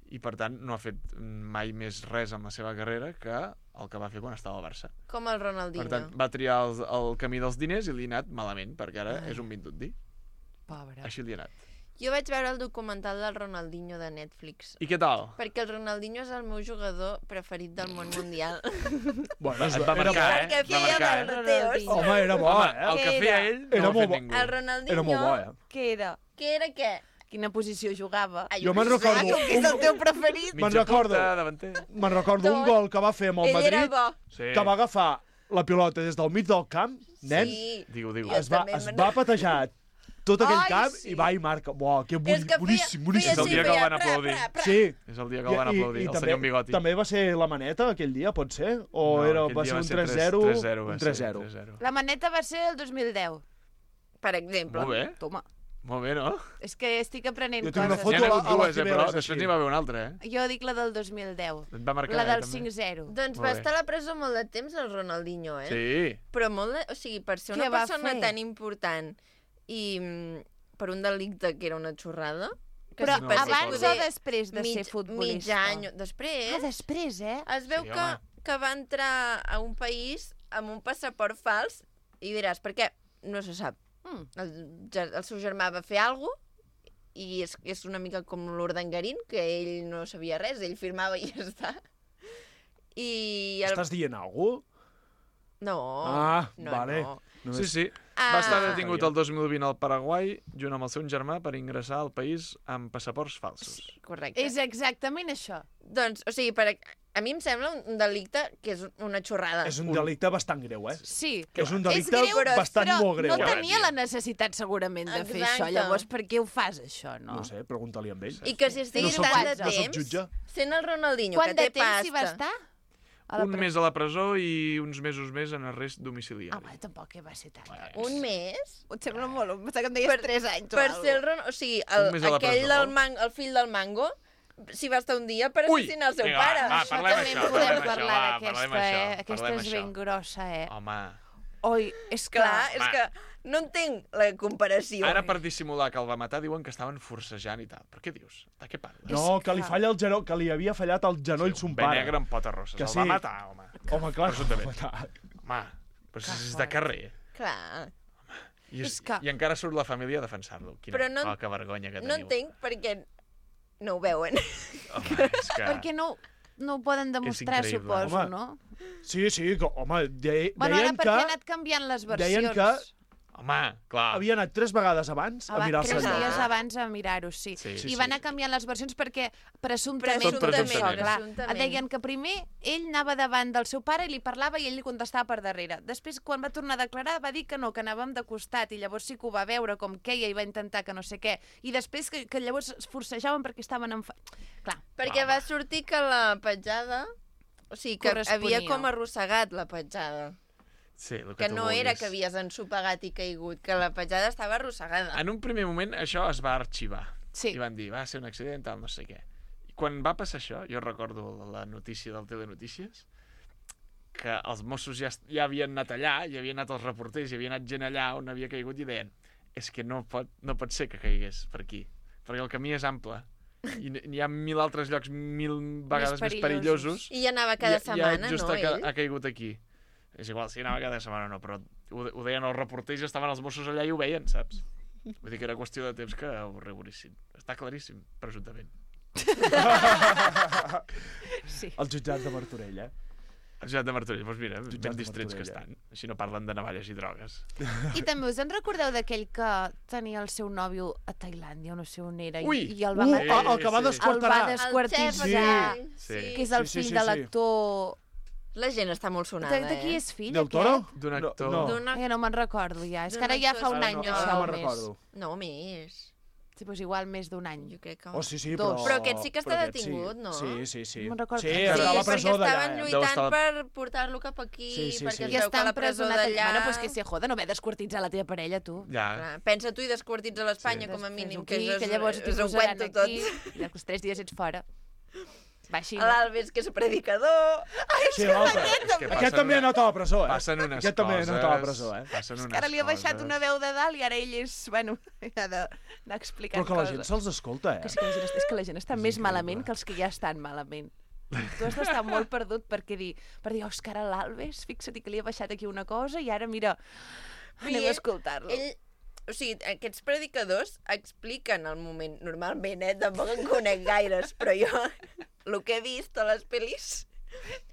i, per tant, no ha fet mai més res amb la seva carrera que el que va fer quan estava al Barça. Com el Ronaldinho. Per tant, va triar el camí dels diners i li ha anat malament, perquè ara és un vindundi. Pobre. Així li ha anat. Jo vaig veure el documental del Ronaldinho de Netflix. I què tal? Perquè el Ronaldinho és el meu jugador preferit del món mundial. Bueno, Et va era marcar, bo. Que Va feia marcar, Barreteos. Home, era bo, Home, eh? el que Què feia era? ell Era no ho ha molt fet bo. ningú. El Ronaldinho... Era molt bo, eh? Què era? Què era què? Quina posició jugava? Ai, Jo me'n recordo... Com que és el teu preferit? Me'n Mitja recordo. punta, davanter. Me'n recordo un gol que va fer amb el Ell era Madrid, bo. Sí. que va agafar la pilota des del mig del camp, nen, Sí. Digue-ho, digue-ho. Jo es va també me'n patejar tot aquell Ai, camp sí. i va i marca. Buah, que És que boníssim, És boníssim. el dia que el van aplaudir. Sí. És el dia que el van aplaudir, el senyor amb bigoti. també va ser la maneta aquell dia, pot ser? O No, era, aquell va dia ser un 3-0? 3-0, Un va ser 3-0. 3-0. La maneta va ser el 2010. Per exemple. Molt bé, Toma. molt bé, no? És que estic aprenent Jo tinc una coses. foto N'hi ha a hagut la dues, Cibeles, però així. després n'hi va haver una altra, eh? Jo dic la del 2010. Et va marcar, La del també. 5-0. Doncs Molt va bé. estar a la presó molt de temps, el Ronaldinho, eh? Sí. Però molt de... O sigui, per ser Què una va persona fer? tan important i per un delicte que era una xorrada, Però si passi abans poder o després de ser futbolista? Mig any. Després. Després, Es veu Sí, que, home. que va entrar a un país amb un passaport fals i diràs, per què? No se sap. El seu germà va fer alguna cosa i és una mica com l'Urdangarín, que ell no sabia res, ell firmava i ja està. I Estàs dient alguna cosa? No, vale. no. Sí, sí. Va estar detingut el 2020 al Paraguai junt amb el seu germà per ingressar al país amb passaports falsos. Correcte. És exactament això. Doncs, o sigui, a mi em sembla un delicte que és una xorrada. És un delicte bastant greu, Sí. És un delicte greu, bastant però molt greu. no tenia la necessitat segurament de fer això. Exacte. Llavors, per què ho fas, això, no? No sé, pregunta-li amb ell. I que si estiguis No soc tant de jutge, no soc temps, jutge. sent el Ronaldinho, Quant que té de temps hi va pasta... estar? Un mes a la presó i uns mesos més en arrest domiciliari. Home, tampoc va ser tant. Un mes? Em sembla molt... Em sembla que em deies 3 anys o Per alguna ser el Ronaldinho... O sigui, Un mes a la aquell presó. el fill del Mango, s'hi va estar un dia per assassinar el seu vinga, pare. va, Això parlem també això, en podem parlem parlar això, va, d'aquesta, parlem això, Aquesta parlem és això. ben grossa, Home, Oi, és que... Clar, és que no entenc la comparació. ara per dissimular que el va matar diuen que estaven forcejant i tal. Però què dius? De què parles? No, que li falla el genoll, que li havia fallat el genoll son Un bé pare. negre amb potes rosses. Que El sí. va matar, home. Home, clar, que el va Presumptament. matar. Home, però si és de carrer. Clar. I encara surt la família a defensar-lo. Quina Però no- poca vergonya que No teniu. entenc perquè no ho veuen. Home, és que... Perquè no ho poden demostrar, increïble. suposo, Home, no? Sí, que, home, Bueno, ara deien perquè ha que anat canviant les deien versions. que Home, clar. havia anat 3 vegades abans a mirar el 3 senyor. dies abans a mirar-ho, sí. Sí, I va anar canviant les versions perquè presumptament... Tot presumptament. Clar, Presumptament. deien que primer ell anava davant del seu pare i li parlava i ell li contestava per darrere. Després, quan va tornar a declarar, va dir que no, que anàvem de costat i llavors sí que ho va veure com queia i va intentar que no sé què. I després que llavors es forcejaven perquè estaven Clar. Perquè va sortir que la petjada... O sigui, que Corresponia. havia com arrossegat la petjada. Sí, el Que tu no era vulguis. que havies ensopegat i caigut, que la petjada estava arrossegada. En un primer moment això es va arxivar. Sí. I van dir, va ser un accident, tal, no sé què. I quan va passar això, jo recordo la notícia del Telenotícies, que els Mossos ja havien anat allà, hi havien anat els reporters, hi havia anat gent allà on havia caigut i deien és que no pot ser que caigués per aquí, perquè el camí és ample i hi ha 1000 altres llocs 1000 vegades més perillosos. I anava cada setmana, just no, ell? ha caigut aquí. És igual, si anava cada setmana no, però ho deien els reporters i estaven els Mossos allà i ho veien, saps? Vull dir que era qüestió de temps que ho regulissin. Està claríssim, presumptament. Sí. El jutjat de Martorell, El jutjat de Martorell, doncs mira, Jutjat ben de distrets que Martorell, estan. Així no parlen de navalles i drogues. I també us en recordeu d'aquell que tenia el seu nòvio a Tailàndia o no sé on era Ui! i el va matar? el que va Sí. desquarterar. El va desquartitzar, El xef, Sí. que és el Sí, fill sí, de sí. l'actor... La gent està molt sonada, De qui és fill, Del Toro? aquest? D'un actor. No. D'una... No me'n recordo ja. És D'un que ara ja actor fa un Ara any no, o ara això no o me'n més. recordo. No, més. Sí, doncs igual més d'un any. Jo crec que... Oh, sí, sí, Dos. Però aquest sí que està però aquest detingut, no? Sí. No me'n recordo. Sí, Sí, està a la perquè presó d'allà. estaven Deu lluitant estar- per portar-lo cap aquí, Sí, sí, perquè sí. es I veu està que la presó empresonat allà. d'allà... Bueno, pues que se joda, no ve desquartitzar la teva parella, tu. Ja. Pensa tu i desquartits a l'Espanya, Sí. com a mínim, Fes-ho aquí, que, que llavors t'hi és un posaran cuento aquí, tot. i als 3 dies ets fora. Va així, no? L'Alves, que és predicador... Sí, l'altre. És que Aquest passen també ha anat a la presó, Passen unes Aquest també ha coses... anat a la presó, Passen unes Que ara li ha baixat coses. una veu de dalt i ara ell és, bueno, ha d'anar explicant Però que la coses. gent se'ls escolta, Que sí, que la gent, és que la gent està més increïble. malament que els que ja estan malament. Tu has d'estar molt perdut per dir, oh, és que ara l'Alves, fixa't que li ha baixat aquí una cosa i ara, mira, anem a escoltar-lo. O sigui, aquests predicadors expliquen el moment, normalment, tampoc en conec gaires, però jo, el que he vist a les pel·lis,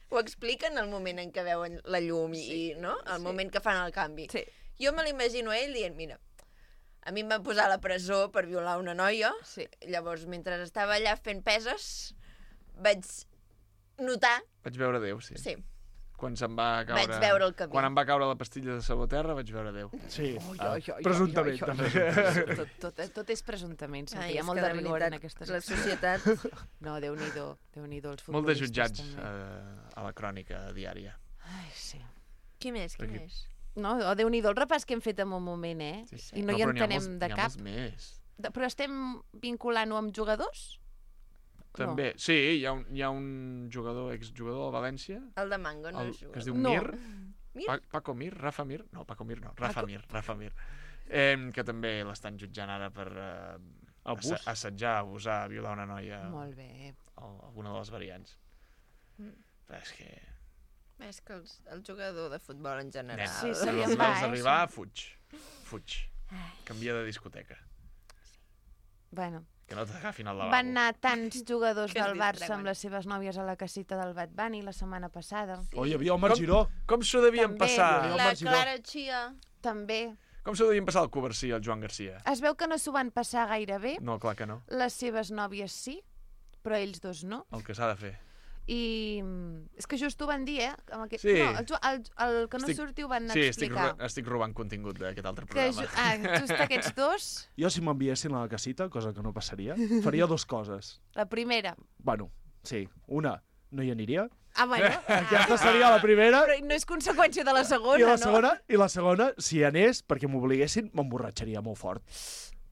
ho expliquen el moment en què veuen la llum i no? El moment que fan el canvi. Sí. Jo me l'imagino a ell dient, mira, a mi em van posar a la presó per violar una noia, Sí. llavors, mentre estava allà fent peses, vaig notar... Vaig veure Déu, sí. Sí. Quan se'm va caure... Vaig veure el camí. Quan em va caure la pastilla de sabó terra, vaig veure Déu. Sí, Ai, presumptament, ai, ai, també. Tot és presumptament, sempre Ai, hi ha és molt que de rigor en aquestes la coses. societat... No, Déu-n'hi-do, els futbolistes Molt de jutjats també. a la crònica diària. Ai, sí. Qui més, qui Perquè- més? No, Déu-n'hi-do el repàs que hem fet en un moment, I no hi entenem de N'hi ha cap. molts més. Però estem vinculant-ho amb jugadors? També, sí, hi ha un jugador, exjugador del València, El de Mango no és que es jugador. diu No. Mir. Mir? Paco Mir? Rafa Mir? No, Paco Mir no. Rafa Mir. Que també l'estan jutjant ara per Abús. Assetjar, abusar, violar una noia... Molt bé. Alguna de les variants. Però és que... És que el jugador de futbol en general... Sí, se li Els en va, vols arribar, fuig. Canvia de discoteca. Bueno, Que no t'agafin al lavabo. van anar tants jugadors Que es del Barça distreuen. amb les seves nòvies a la casita del Bad Bunny la setmana passada. Oh, hi havia Omar Giró. Com s'ho devien També. passar? La Clara Chia. També. Com s'ho devien passar el Covarsí i el Joan Garcia? Es veu que no s'ho van passar gaire bé. No, clar que no. Les seves nòvies sí, però ells dos no. El que s'ha de fer. I és que just ho van dir, Amb aquest... Sí. No, el que no surti ho van Sí, explicar. estic robant contingut d'aquest altre Que programa. just aquests dos, Jo, si m'enviessin a la casita, cosa que no passaria, faria dues coses. la primera... Bueno, sí. Una, no hi aniria. bueno. Aquesta seria la primera. Però no és conseqüència de la segona, I la no? segona, si hi anés, perquè m'obliguessin, m'emborratxaria molt fort.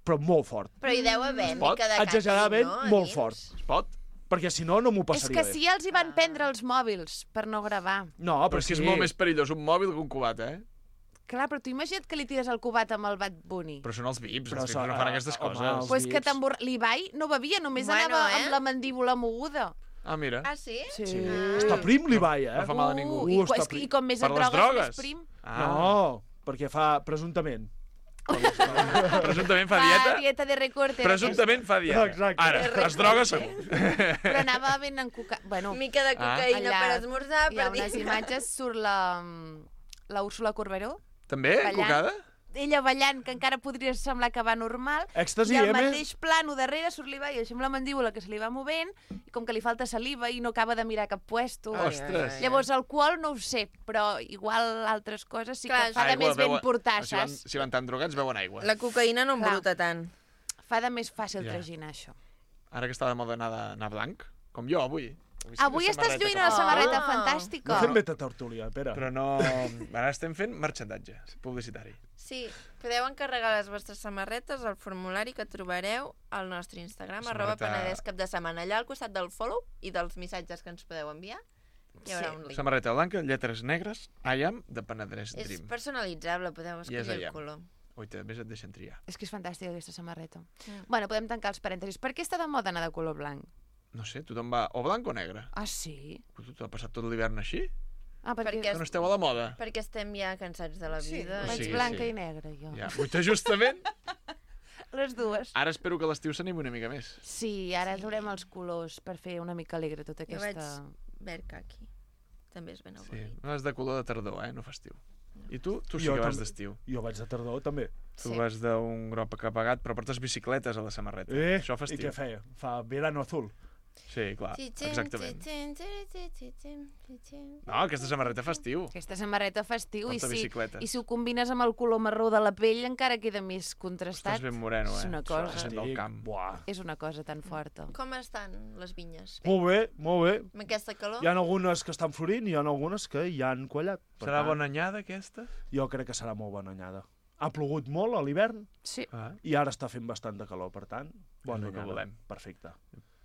Però molt fort. Però hi deu haver pot? mica de càstig, Exageradament, no? molt fort. Es pot? Perquè si no, no m'ho És passaria que bé. sí, els hi van prendre els mòbils per no gravar. No, Però és que és molt més perillós un mòbil que un cubat, Clar, però tu imagina't que li tires el cubat amb el Bad Bunny. Però són els VIPs, Però els VIPs no fan aquestes home, coses. els Pues que VIPs. l'Ibai no bevia, només Bueno, anava amb la mandíbula moguda. Ah, mira. Ah, sí? Sí. Està prim, l'Ibai, No fa mal a ningú. està I com més Per et les drogues, drogues? més prim. No, perquè fa presumptament. Presumptament fa Fa dieta. dieta de recorte. Presumptament fa dieta. Exacte. Ara, es droga segur. Però anava ben encocat. Bueno, Mica de cocaïna per esmorzar, hi ha per dir... unes imatges, surt la Úrsula Corberó, També? Ballant. Cocada? ella ballant, que encara podria semblar que va normal, Èxtasi, i al M. mateix plano darrere surt l'Ibai, així amb la mandíbula que se li va movent, i com que li falta saliva i no acaba de mirar cap puesto. Ostres. Llavors, alcohol no ho sé, però igual altres coses sí Clar, que fa de més ben portar, si van, saps? si van tan drogats, beuen aigua. La cocaïna no Clar. embruta tant. Fa de més fàcil Ja. traginar això. Ara que està de moda anar blanc, com jo avui. Avui estàs lluint una samarreta fantàstica. No fem beta tertúlia, Pere. Però no... Ara estem fent merchandatge publicitari. Sí, podeu encarregar les vostres samarretes al formulari que trobareu al nostre Instagram, Samarreta- @penedescapdesetmana. Allà al costat del follow i dels missatges que ens podeu enviar hi haurà un link. Samarreta blanca, lletres negres, I am de Penedès És Dream. personalitzable, podeu I és escollir allà. el color. Ui, també et deixen triar. És que és fantàstica aquesta samarreta. Bueno, podem tancar els parèntesis. Per què està de moda anar de color blanc? No sé, tothom va o blanc o negre. Ah, sí? Però tu t'ha passat tot l'hivern així? Ah, perquè... Perquè Que no esteu a la moda? Perquè estem ja cansats de la vida. Vaig Sí, blanca sí. i negra, jo. Ja, justament. Les dues. Ara espero que l'estiu s'animi una mica més. Sí, ara haurem els colors per fer una mica alegre tota Jo vaig aquesta... verd caqui. També és ben Sí, avorrit. no és de color de tardor, no fa estiu. I tu? Tu sí Jo que vas també. d'estiu. Jo vaig de tardor, també. Tu vas d'un groc apagat, però portes bicicletes a la samarreta. Això fa I estiu. què feia? Fa verano azul. Sí, clar, exactament. No, aquesta samarreta fa estiu. Aquesta samarreta fa estiu i Porta bicicletes. i si ho combines amb el color marró de la pell encara queda més contrastat. Estàs ben moreno, És una cosa, Sent del camp. Buah. és una cosa tan forta. Com estan les vinyes? Molt bé, molt bé. Amb aquesta calor? Hi ha algunes que estan florint i hi ha algunes que ja han quallat. Per Serà tant, bona anyada, aquesta? Jo crec que serà molt bona anyada. Ha plogut molt a l'hivern Sí. Ah. i ara està fent bastant de calor, per tant, bona el que anyada. volem. Perfecte.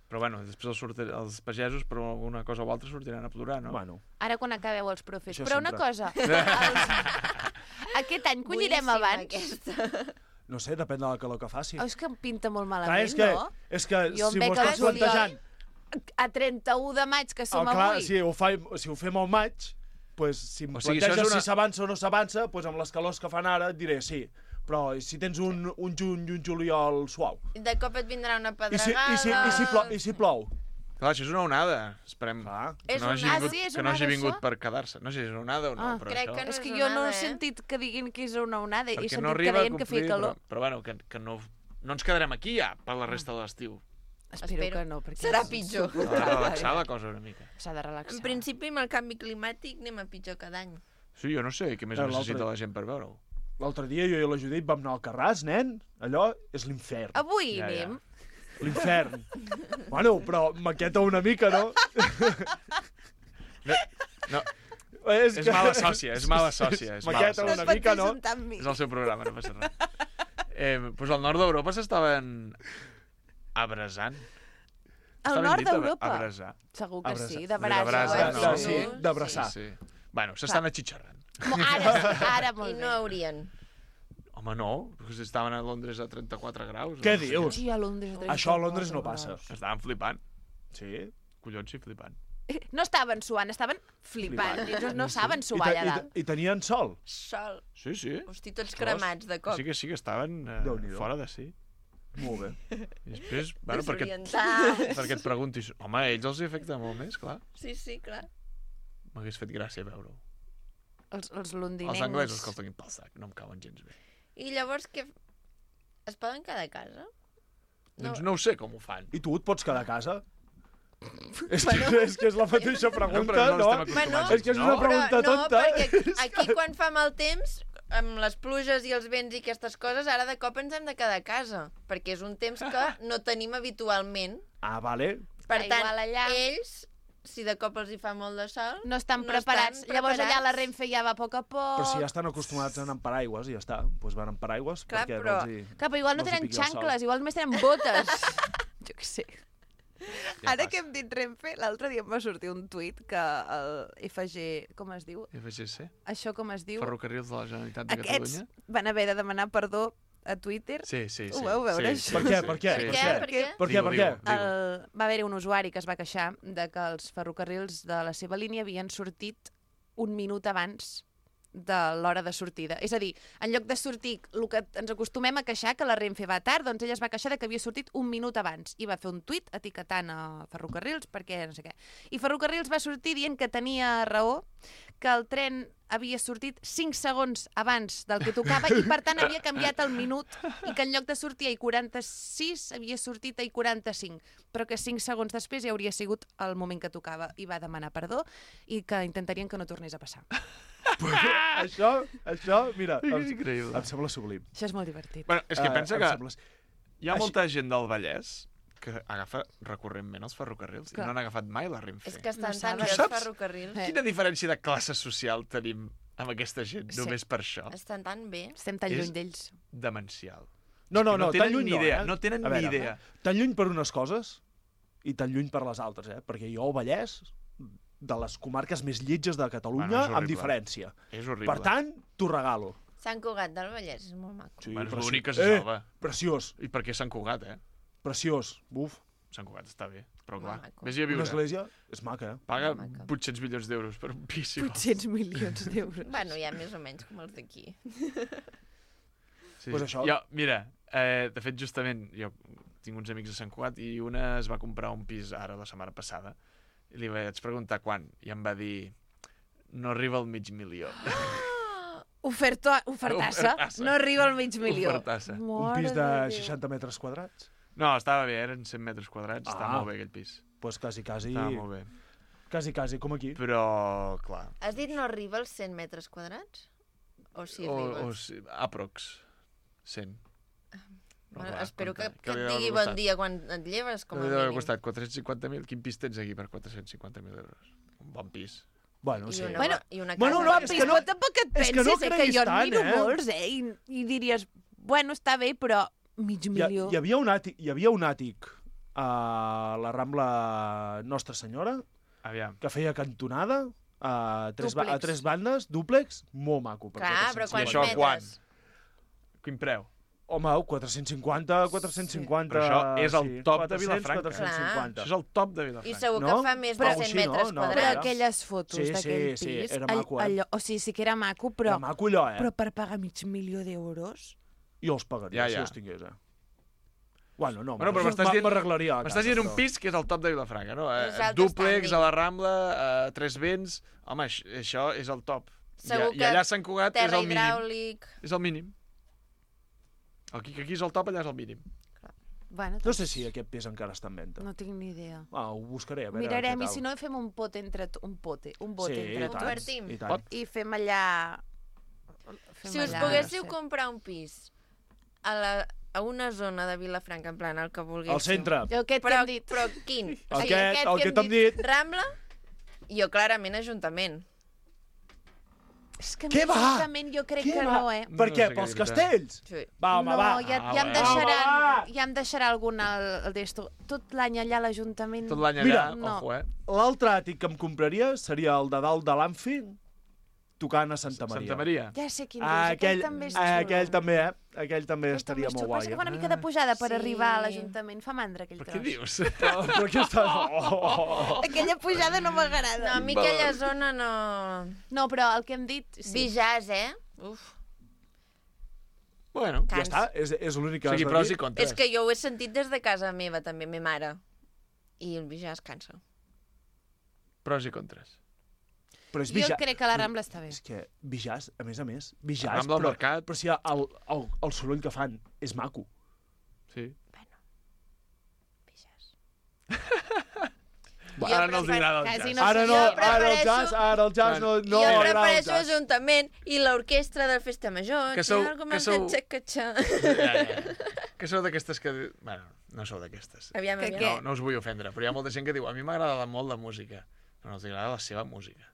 Però bueno, després els pagesos per alguna cosa o altra sortiran a plorar, no? Bueno, Ara quan acabeu els profes. Això Però una sempre. cosa, aquest any collirem Boníssima, abans. Aquesta. no sé, depèn de la calor que faci. Oh, és que em pinta molt Clar, malament, és que, no? és que Jo em si veig m'ho al estàs juliol. plantejant... A 31 de maig, que som clar, avui. si ho fem al maig, pues, si em O sigui, això és planteges una- si s'avança o no s'avança, pues, amb les calors que fan ara et diré sí. Però si tens un juny i un juliol suau. I de cop et vindrà una I si, pedregada... i si plou? Clar, això és una onada. Esperem Clar. És que no hagi una- vingut, sí, és que no hagi onada, vingut això? per quedar-se. No sé si és una onada o no, Ah, però crec això... que no És que és jo no onada, he eh? sentit que diguin que és una onada. He Perquè sentit no que arriba a deien que feia complir, calor. però bueno, que no ens quedarem aquí ja per la resta de l'estiu. Espero que no, perquè Serà és pitjor. S'ha de relaxar la cosa una mica. S'ha de relaxar. En principi, amb el canvi climàtic anem a pitjor cada any. Sí, jo no sé què més L'altre- necessita la gent per veure-ho. L'altre dia jo i la Judit vam anar al Carràs, nen. Allò és l'infern. Avui Ja, ja. anem. L'infern. Bueno, però maqueta una mica, no? No, És és mala sòcia, és mala sòcia. És mala Maqueta sòcia. una mica, no? És el seu programa, no passa res. Doncs al nord d'Europa s'estaven abrasant. Al Està ben nord dit, d'Europa? Abrasar. Segur que Abrasar. sí, de brasa. brasa, ho no? has dit. Sí, d'abraçar. Sí. Bueno, s'estan atxitxarrant. Ara, ara I molt no bé. haurien. Home, no, perquè estaven a Londres a 34 graus. Què no sé dius? Sí, a Londres. Això a Londres no passa. Estaven flipant. Sí? Collons, sí, flipant. No estaven suant, estaven flipant. No saben suar allà dalt. I tenien sol? Sol. Sí. Hosti, tots cremats de cop. Sí que estaven fora de si. Molt bé. I després, bueno, Desorientats. perquè et preguntis, home, a ells els afecta molt més, clar. Sí, clar. M'hagués fet gràcia veure-ho. Els londinencs... Els anglesos que els tinguin pel sac, no em cauen gens bé. I llavors, què? Es poden quedar a casa? Doncs no ho sé com ho fan. I tu et pots quedar a casa? És que és la mateixa pregunta, no? És que és una pregunta tonta. No, perquè aquí quan fa mal temps, amb les pluges i els vents i aquestes coses, ara de cop ens hem de quedar a casa, perquè és un temps que no tenim habitualment. Ah, vale. Per tant, allà... ells, si de cop els hi fa molt de sol... No estan preparats. Llavors allà la Renfe ja va a poc a poc... Però si ja estan acostumats a anar amb paraigües, i ja està. Doncs van amb paraigües, clar, perquè però... Clar, però igual no tenen xancles, igual només tenen botes. Jo què sé. Ja ara que hem dit Renfe, l'altre dia em va sortir un tuit que el FG... Com es diu? FGC? Això com es diu? Ferrocarrils de la Generalitat de Aquests Catalunya? van haver de demanar perdó a Twitter. Sí. Ho vau veure, sí, això? Per què? Per què? Va haver-hi un usuari que es va queixar de que els ferrocarrils de la seva línia havien sortit un minut abans de l'hora de sortida. És a dir, en lloc de sortir el que ens acostumem a queixar, que la Renfe va tard, doncs ella es va queixar de que havia sortit un minut abans i va fer un tuit etiquetant a Ferrocarrils perquè no sé què. I Ferrocarrils va sortir dient que tenia raó, que el tren havia sortit 5 segons abans del que tocava i per tant havia canviat el minut i que en lloc de sortir a 46 havia sortit a 45, però que 5 segons després ja hauria sigut el moment que tocava i va demanar perdó i que intentarien que no tornés a passar. Això, mira, és increïble. Em sembla sublim. Això és molt divertit. Bueno, és que pensa que hi ha molta gent del Vallès que agafa recurrentment els ferrocarrils i no han agafat mai la Renfe. És que estan No tan saben. bé els ferrocarrils. Quina diferència de classe social tenim amb aquesta gent, només per això? Estan tan bé. Estem tan lluny d'ells. Demencial. No, no tan tenen lluny ni idea, eh? no tenen A veure, ni idea. Tan lluny per unes coses i tan lluny per les altres, perquè jo al Vallès, de les comarques més lletges de Catalunya, amb diferència. És horrible. Per tant, t'ho regalo. Sant Cugat del Vallès és molt maco. Sí, Bueno, és l'únic que se salva. Preciós. I per què Sant Cugat, Preciós. Buf. Sant Cugat està bé, però clar. maco. Vés-hi a viure. Una església és maca, Paga Molt maca. 800 milions d'euros per un pis. si vols. 800 milions d'euros. Bueno, ja més o menys com els d'aquí. Sí. Pues això. Jo, mira, de fet, justament, jo tinc uns amics a Sant Cugat i una es va comprar un pis ara la setmana passada i li vaig preguntar quan i em va dir no arriba al mig milió. Ofertassa. Ofertassa. No arriba al mig milió. Ofertassa. Un pis de 60 metres quadrats? No, estava bé, eren 100 metres quadrats, estava molt bé aquell pis. Doncs quasi. Estava molt bé. Quasi, com aquí. Però, clar... Has dit no arriba als 100 metres quadrats? O sí arriba? Sí, aprox. 100. Bueno, clar, espero que compte. et li deu digui haver bon costat? dia quan et lleves, com a Li deu haver mínim. costat 450.000. Quin pis tens aquí per 450.000 euros? Un bon pis. Bueno, I sí. una, Bueno, i una casa. bueno, no, És que no, tampoc et és que no pensis, que creguis jo en tant, miro molts, i diries, bueno, està bé, però mig milió. Hi havia un àtic a la Rambla Nostra Senyora Aviam. que feia cantonada a Dúplex. tres bandes, dúplex, molt maco. Per Clar, però 450. quants això metres? quan? Quin preu? Home, 450. Però això és el top de 400, Vilafranca. 450. Això és el top de I Vilafranca. segur No? que fa més de Però 100 sí, no? metres No, Però quadrats. aquelles fotos Sí, d'aquell sí, pis... era maco, o sigui, que era maco, però... Era maco allò, Però per pagar mig milió d'euros... Jo els pagaria, Ja, si ja. els tingués, Bueno, no, Bueno, però m'estàs dient- m'arreglaria. M'estàs dient un pis que és el top de Vilafranca, no? És alto Dúplex, standing. a la Rambla, Tres Vents... Home, això és el top. Segur I que allà a Sant Cugat és terra el mínim. hidràulic... És el mínim. Aquí és el top, allà és el mínim. Bueno, No sé si aquest pis encara està en venda. no tinc ni idea. Ho buscaré, a veure Mirarem, què i tal. si no fem un pot entre... Un bote Sí, entre i tots. tant, Divertim. i tant. I fem allà... Si us poguéssiu comprar un pis a una zona de Vilafranca, en plan, el que vulguéssiu. Al centre. Aquest que Però, hem dit. però quin? El que t'hem dit. Rambla? Jo clarament Ajuntament. És que Què va? justament jo crec Què que va? no, Per No què? sé què Pels dir-te. castells? Sí. Va, home, no, va. ja em bueno. deixaran, Home, ja em deixarà algun el d'esto. Tot l'any allà a l'Ajuntament... Tot l'any Mira, allà, no. ojo, L'altre àtic que em compraria seria el de dalt de l'Anfi, tocant a Santa Maria. Santa Maria. Ja sé quin dius, aquell també és xulo. Aquell també, Aquell també estaria molt guai. Passa que fa una mica de pujada per arribar a l'Ajuntament. Fa mandra aquell tros. Per què dius? Però què està... Aquella pujada no m'agrada. No, a mi aquella zona no... No, però el que hem dit... Sí. Bijàs, Uf. Bueno, ja està, és l'únic que has de dir. Pros i contres. És que jo ho he sentit des de casa meva, també, ma mare. I el Bijàs cansa. Pros i contres. Però és Jo crec que la Rambla està bé. És que Bijàs, a més, Bijàs, Rambla al mercat. però si el soroll que fan és maco. Sí. Bueno, Bijàs. Ara no els agrada el jazz. Ara el jazz no jo agrada el prefereixo jazz. Ajuntament i l'orquestra del Festa Major. Que sou- Que sou d'aquestes que... Bueno, no sou d'aquestes. Aviam. No us vull ofendre, però hi ha molta gent que diu a mi m'agrada molt la música, però no els agrada la seva música.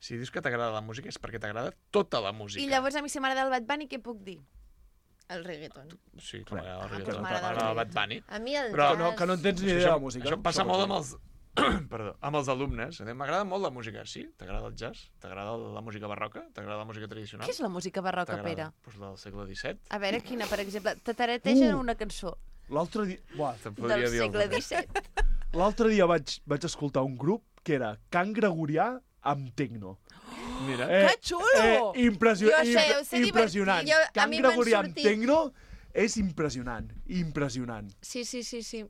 Si dius que t'agrada la música és perquè t'agrada tota la música. I llavors a mi si m'agrada el Bad Bunny, què puc dir? El reggaeton. Sí, que m'agrada el doncs reggaeton, m'agrada el m'agrada el Bad Bunny. A mi el Però jazz... Que no entens ni idea de la música. Això passa molt amb els... Perdó, amb els alumnes. M'agrada molt la música. Sí? T'agrada el jazz? T'agrada la música barroca? T'agrada la música tradicional? Què és la música barroca, Pere? Doncs la del segle XVII. A veure, quina, per exemple, tatarategen una cançó. L'altre dia... Buah, Del segle XVII. L'altre dia vaig escoltar un grup que era Cant Gregorià amb tecno. Mira. Que xulo! Impressionant. Jo sé Impressionant. divertir. A Cant mi m'han Gregorià amb sortit- tecno és impressionant. Impressionant. Sí.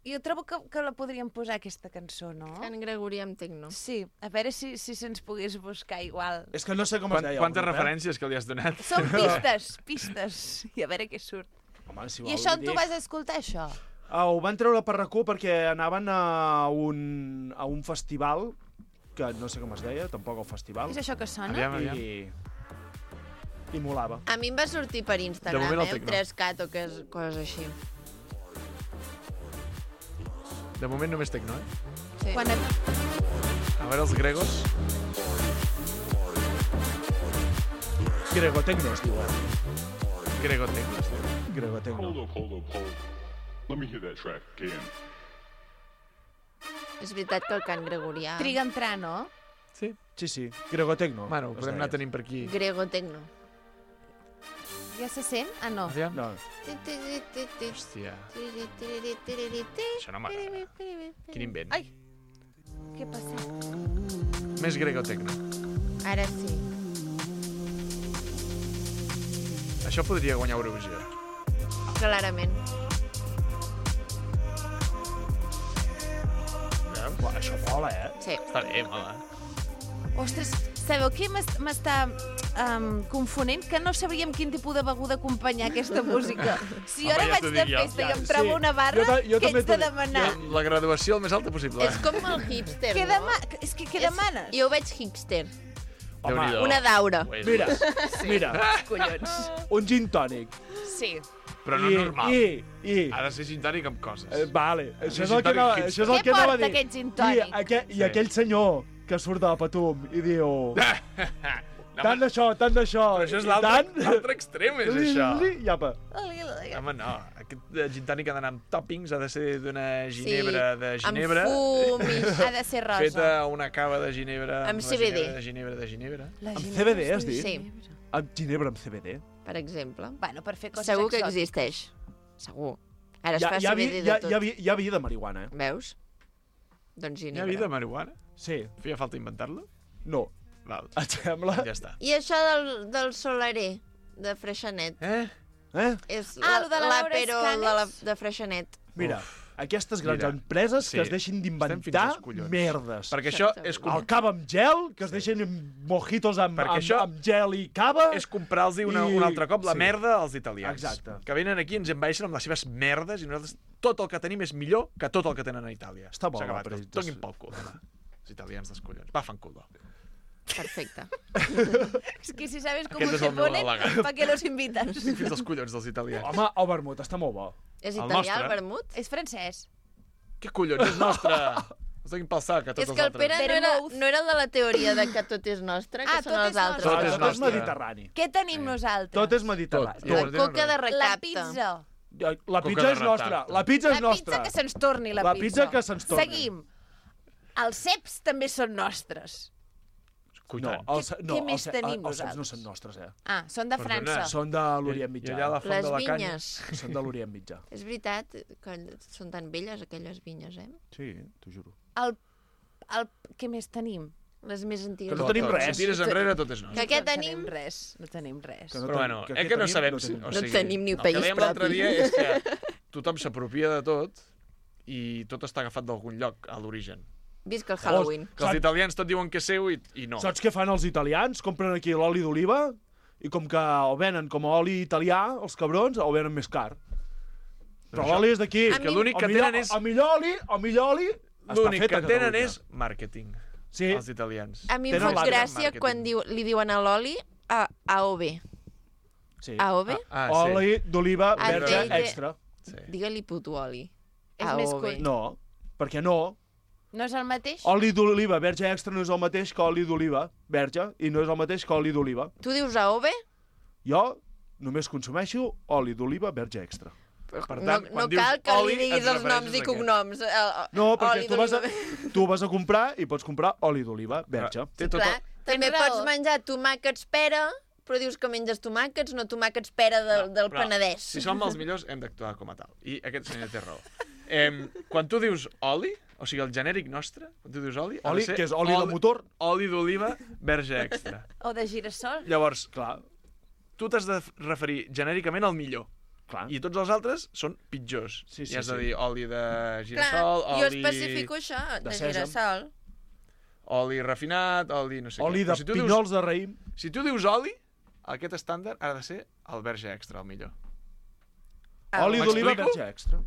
Jo trobo que la podríem posar, aquesta cançó, no? Cant Gregorià amb tecno. Sí, a veure si se'ns pogués buscar igual. És que no sé com es deia. Quantes referències que li has donat? Són pistes. I a veure què surt. Home, si I això on tu vas escoltar, això? Ho van treure per RAC1 perquè anaven a un festival que no sé com es deia, tampoc el festival. És això que sona? Aviam. I molava. A mi em va sortir per Instagram, moment el tecno. 3cat o coses així. De moment només tecno, Sí. Quan A veure els gregos. Gregotecno es diu, Gregotecno. Gregotecno. Hold up. Let me hear that track again. És veritat que el cant gregorià... triga a entrar, no? Sí. Sí. Gregotecno. Bueno, ho podem anar tenint per aquí. Gregotecno. Ja se sent? Ah, no. Aviam. No. Hòstia. Això no m'agrada. Quin invent. Ai! Què passa? Més gregotecno. Ara sí. Això podria guanyar Eurovisió. Clarament. Buah, això mola, Sí. Està bé, mola. Ostres, sabeu què m'està confonent? Que no sabríem quin tipus de beguda acompanyar aquesta música. Si jo Home, ara ja vaig t'ho de dic jo. festa i em Sí. trobo una barra, Jo què també ets t'ho de dic. demanar? La graduació el més alta possible. És com el hipster, Què no? què demanes? Jo ho veig hipster. Déu-n'hi-do. Una daura. Ho és, Mira, ho és. mira, Collons. un gin tònic. Sí. Però no normal. I... Ha de ser gin tònic amb coses. Vale, això és gin el que tònic anava, hipster. això és el Què que anava a porta dir. aquest gin tònic? I aquell senyor que surt de la Patum i diu... Tant d'això. Però això és l'altre extrem, és això. I apa. Home, no. Aquest gin tònic ha d'anar amb toppings, ha de ser d'una ginebra de Ginebra. Amb fum i... Ha de ser rosa. Feta una cava de Ginebra. Amb la CBD. Ginebra de Ginebra. Amb CBD, has dit? Sí, Amb ginebra amb CBD? per exemple. Bueno, per fer coses Segur que exòtiques. existeix. Segur. Ara es fa Hi ha CBD de tot. hi ha vi de marihuana, Veus? Doncs Hi ha ginebra. vida marihuana? Sí. Feia falta inventar-lo? No. Val. Et sembla? Ja està. I això del solarer, de Freixenet. És lo de la Laura l'àpero Escanes? de Freixenet. Mira, aquestes grans Mira, empreses sí. que es deixin Estem fins d'inventar als collons. merdes. Perquè això és, El cava amb gel, que es deixen mojitos amb això gel i cava. és comprar-los un altre cop la merda als italians. Exacte. Que venen aquí, ens envaeixen amb les seves merdes i nosaltres tot el que tenim és millor que tot el que tenen a Itàlia. Està bo, S'ha acabat. però- Donin pel cul, home. Els italians dels collons. Va, fan culo. Perfecte. Es que si sabes cómo Aquest és se el meu ponen, al·legat. ¿para qué los invitas? Estic fins als collons dels italians. Home, el vermut està molt bo. És El italià, nostre. el vermut? És francès. Què collons, és nostre! Els donin pel sac a tots És els que el altres. Pere no era el de la teoria de que tot és nostre, que Ah, són tot els és altres. Tot és Tot és nostre. mediterrani. Què tenim nosaltres? Tot és mediterrani. Tot. La coca de La recapta. pizza. La Coca pizza de és nostra. recapte. La pizza és La nostra. pizza que se'ns torni, la La pizza. pizza que se'ns torni. Seguim. Els ceps també són nostres. No, Què més tenim els ceps nosaltres? no són nostres, Ah, són de Perdona. França. Són de l'Orient I Mitjà. allà a la font Les de la canya... vinyes. Són de l'Orient Mitjà. És veritat que són tan belles aquelles vinyes, eh? Sí, t'ho juro. Què més tenim? Les més antigues. Que no tenim Tot, res. Si tires enrere, tot és nostre. Que què No tenim? res, no tenim res. Que no Però bueno, que que què no tenim? sabem... No tenim. No tenim ni el país que dèiem l'altre propi. dia és que tothom s'apropia de tot i tot està agafat d'algun lloc, a l'origen. Visca el Halloween. Que els italians tot diuen que és seu i no. Saps què fan els italians? Compren aquí l'oli d'oliva i com que el venen com a oli italià, els cabrons, el venen més car. Però això- l'oli és d'aquí. És que l'únic que tenen és... El millor oli està L'únic fet que a tenen Catalunya. és màrqueting, Sí, els italians. A mi em Tenen fot l'altre gràcia màrqueting. quan li diuen a l'oli AOV. sí. AOV? Oli d'oliva Ah, verge sí. extra. Sí. Digue-li puto oli. És més AOV. coll. No, perquè no. No és el mateix? Oli d'oliva verge extra no és el mateix que oli d'oliva verge i no és el mateix que oli d'oliva. Tu dius AOV? Jo només consumeixo oli d'oliva verge extra. Per No, tant, no quan dius cal que oli, li diguis et els refereixes noms a i què? cognoms. No, perquè Oli tu tu vas a comprar i pots comprar oli d'oliva verge. Té tot Clar, també Tens raó. pots menjar tomàquets pera, però dius que menges tomàquets, no tomàquets pera del Però, Penedès. Si som els millors, hem d'actuar com a tal. I aquest senyor té raó. Quan tu dius oli, o sigui, el genèric nostre, quan tu dius oli, ha de Oli, ser que és oli de motor. oli d'oliva verge extra. O de girassol? Llavors, Clar, tu t'has de referir genèricament al millor. clar. I tots els altres són pitjors. Sí, sí, I has de sí. dir oli de Clar, girassol, jo oli... especifico això, de sèsam. girassol. Oli refinat, oli no sé Oli què. de Però si tu pinyols de raïm. Si tu dius oli, aquest estàndard ha de ser el verge extra, el millor. Oli d'oliva M'explico? verge extra.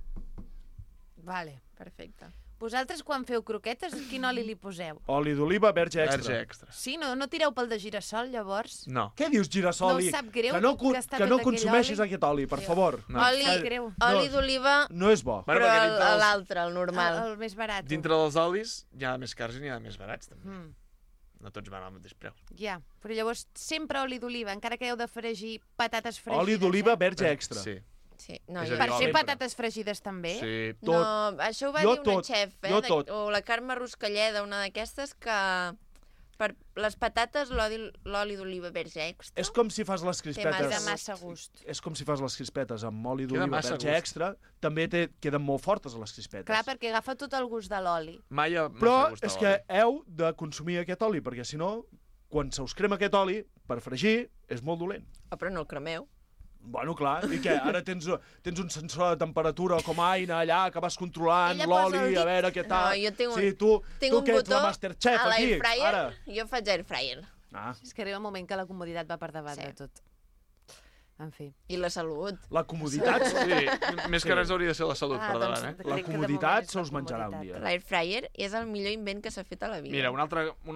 Vale. Perfecte. Vosaltres, quan feu croquetes, quin oli li poseu? Oli d'oliva verge extra. Verge extra. Sí, no tireu pel de girassol, llavors? No. Què dius, girassol? No us sap greu que no, que està que no fet aquell consumeixis oli? aquest oli, per favor. No. Oli, Sap greu. oli No. d'oliva, No és bo. Bueno, però perquè dintre dels- l'altre, el normal. El més barat. Dintre dels olis hi ha més cars i n'hi ha més barats, també. Mm, No tots van al mateix preu. ja, però llavors sempre oli d'oliva, encara que heu de fregir patates fregides. Oli d'oliva eh? verge extra. Sí. Sí, no, És jo... a Per dir, fer oli. patates fregides també? Sí. Tot. No, això ho va Jo dir una tot, xef, jo tot. o la Carme Ruscalleda, una d'aquestes, que per les patates l'oli d'oliva verge extra. És com si fas les Té crispetes... massa gust. És com si fas les crispetes amb oli Queda d'oliva massa verge gust. extra, també queden molt fortes les crispetes. Clar, perquè agafa tot el gust de l'oli. Mai ha Però gustat és que heu de consumir aquest oli, perquè si no, quan se us crema aquest oli, per fregir, és molt dolent. Oh, però no el cremeu. Bueno, clar, i què? Ara tens un sensor de temperatura com a Aina allà, que vas controlant Ella posa el l'oli, dit. a veure què tal. No, jo tinc un- Sí, tu Tinc tu un que ets la botó Masterchef a aquí, l'airfryer, ara. jo faig airfryer. Ah, És que arriba un moment que la comoditat va per davant Sí. de tot. En fi. I la salut. la comoditat, Sí, més que res hauria de ser la salut per doncs, davant, eh? crec la que de comoditat moment és se la us menjarà un comoditat. dia. L'airfryer és el millor invent que s'ha fet a la vida. Mira, una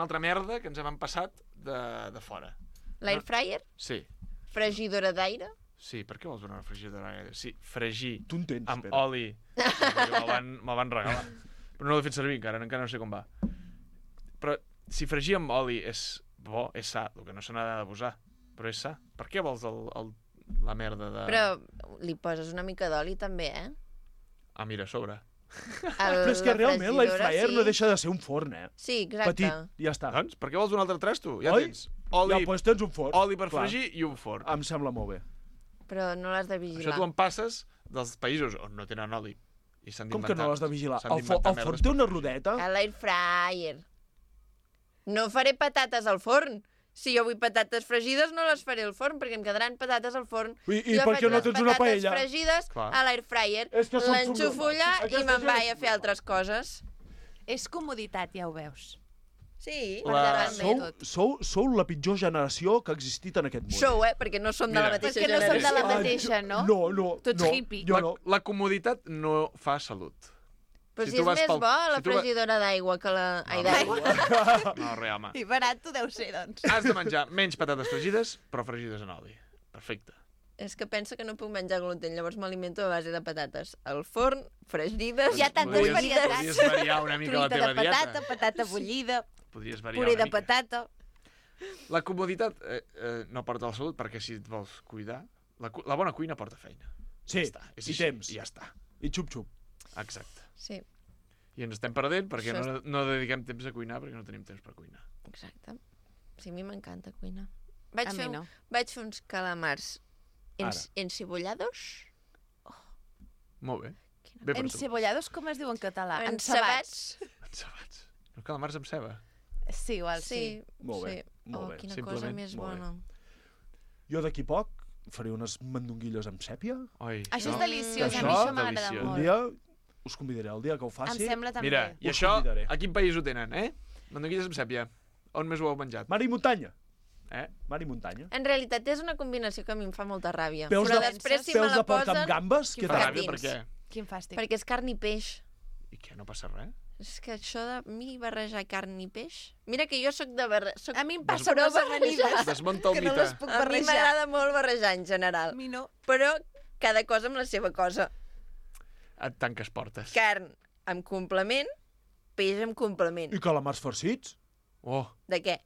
altra merda que ens hem passat de fora. L'airfryer, Sí, fregidora d'aire, sí, per què vols donar una fregidora? Sí, fregir Tu entens, amb Pere. oli. Me'l van regalar. Però no l'he fet servir encara no sé com va. Però si fregir amb oli és bo, és sa, el que no se n'ha d'abusar. Però és sa. Per què vols la merda de... però li poses una mica d'oli també, eh? Ah, mira, a sobre. Però és que realment l'airfryer no deixa de ser un forn, eh? Sí, exacte. Petit, ja està. Doncs, per què vols un altre trasto? Ja Oi? tens oli, Ja, doncs tens un forn. oli per Clar. fregir i un forn. Em sembla molt bé. Però no l'has de Això vigilar. tu en passes dels països on no tenen oli. I s'han Com que no l'has de vigilar? s'han El d'inventar forn merdes té per una fer-ho. rodeta? A l'airfryer. No faré patates al forn. Si jo vull patates fregides, no les faré al forn, perquè em quedaran patates al forn. I Jo per què faig no les tens una patates paella? fregides Clar. a l'airfryer. És que són L'enxufo allà i Aquesta me'n gent vaig és a fer altres coses. És comoditat, ja ho veus. Sí, Per La- davant de tot. Sou la pitjor generació que ha existit en aquest món. Sou, perquè no som de la Mira. mateixa Perquè no som de generació. la mateixa, no? No, Tots no, hippie. Jo no. La comoditat no fa salut. Però si si tu és vas més pel- bo la si tu va- fregidora d'aigua que la... Ai, No, d'aigua. No, res, home. I barat tu deu ser, doncs. Has de menjar menys patates fregides, però fregides en oli. Perfecte. És que pensa que no puc menjar gluten, llavors m'alimento a base de patates. Al forn, fregides, Hi ha tantes Podries- varietats. Podries variar una mica la Truita teva de patata, dieta. patata bullida, Podries variar puré una de mica. patata... La comoditat no porta la salut perquè si et vols cuidar... La bona cuina porta feina. Sí, Ja està. És i així, temps. I ja està. I xup-xup. Exacte. Sí, I ens estem perdent perquè Això no dediquem temps a cuinar perquè no tenim temps per cuinar. exacte. Sí, a mi m'encanta cuinar. A mi no. Vaig fer uns calamars encebollados. Molt bé. Bé per tu. Encebollados, com es diu en català? Encebats. Encebats. No, calamars amb ceba. Sí, igual sí. Molt bé, molt bé. Quina Simplement, cosa més molt bé. bona. Jo d'aquí poc faré unes mandonguilles amb sèpia. Oi, Això és deliciós, a Això, mi això m'agrada deliciós. Un molt. dia us convidaré, el dia que ho Em faci. sembla també. Mira, i Us això, convidaré. a quin país ho tenen, Mandonguilles amb sèpia. On més ho heu menjat? Mar i muntanya. Eh? Mar i muntanya. En realitat és una combinació que a mi em fa molta ràbia. Peus Però de- després si me peus la de porc posen... amb gambes, quin què tal? Ràbia, per dins. què? Quin fàstic. Perquè és carn i peix. I què, no passa res? És que això de mi barrejar carn i peix... Mira que jo sóc de barrejar... A mi em passa amb les amanides. Desmunta el que no mite. les puc A mi barrejar. m'agrada molt barrejar en general. A mi no. Però cada cosa amb la seva cosa. Et tanques portes. Carn amb complement, peix amb complement. I calamars farcits? Oh, De què?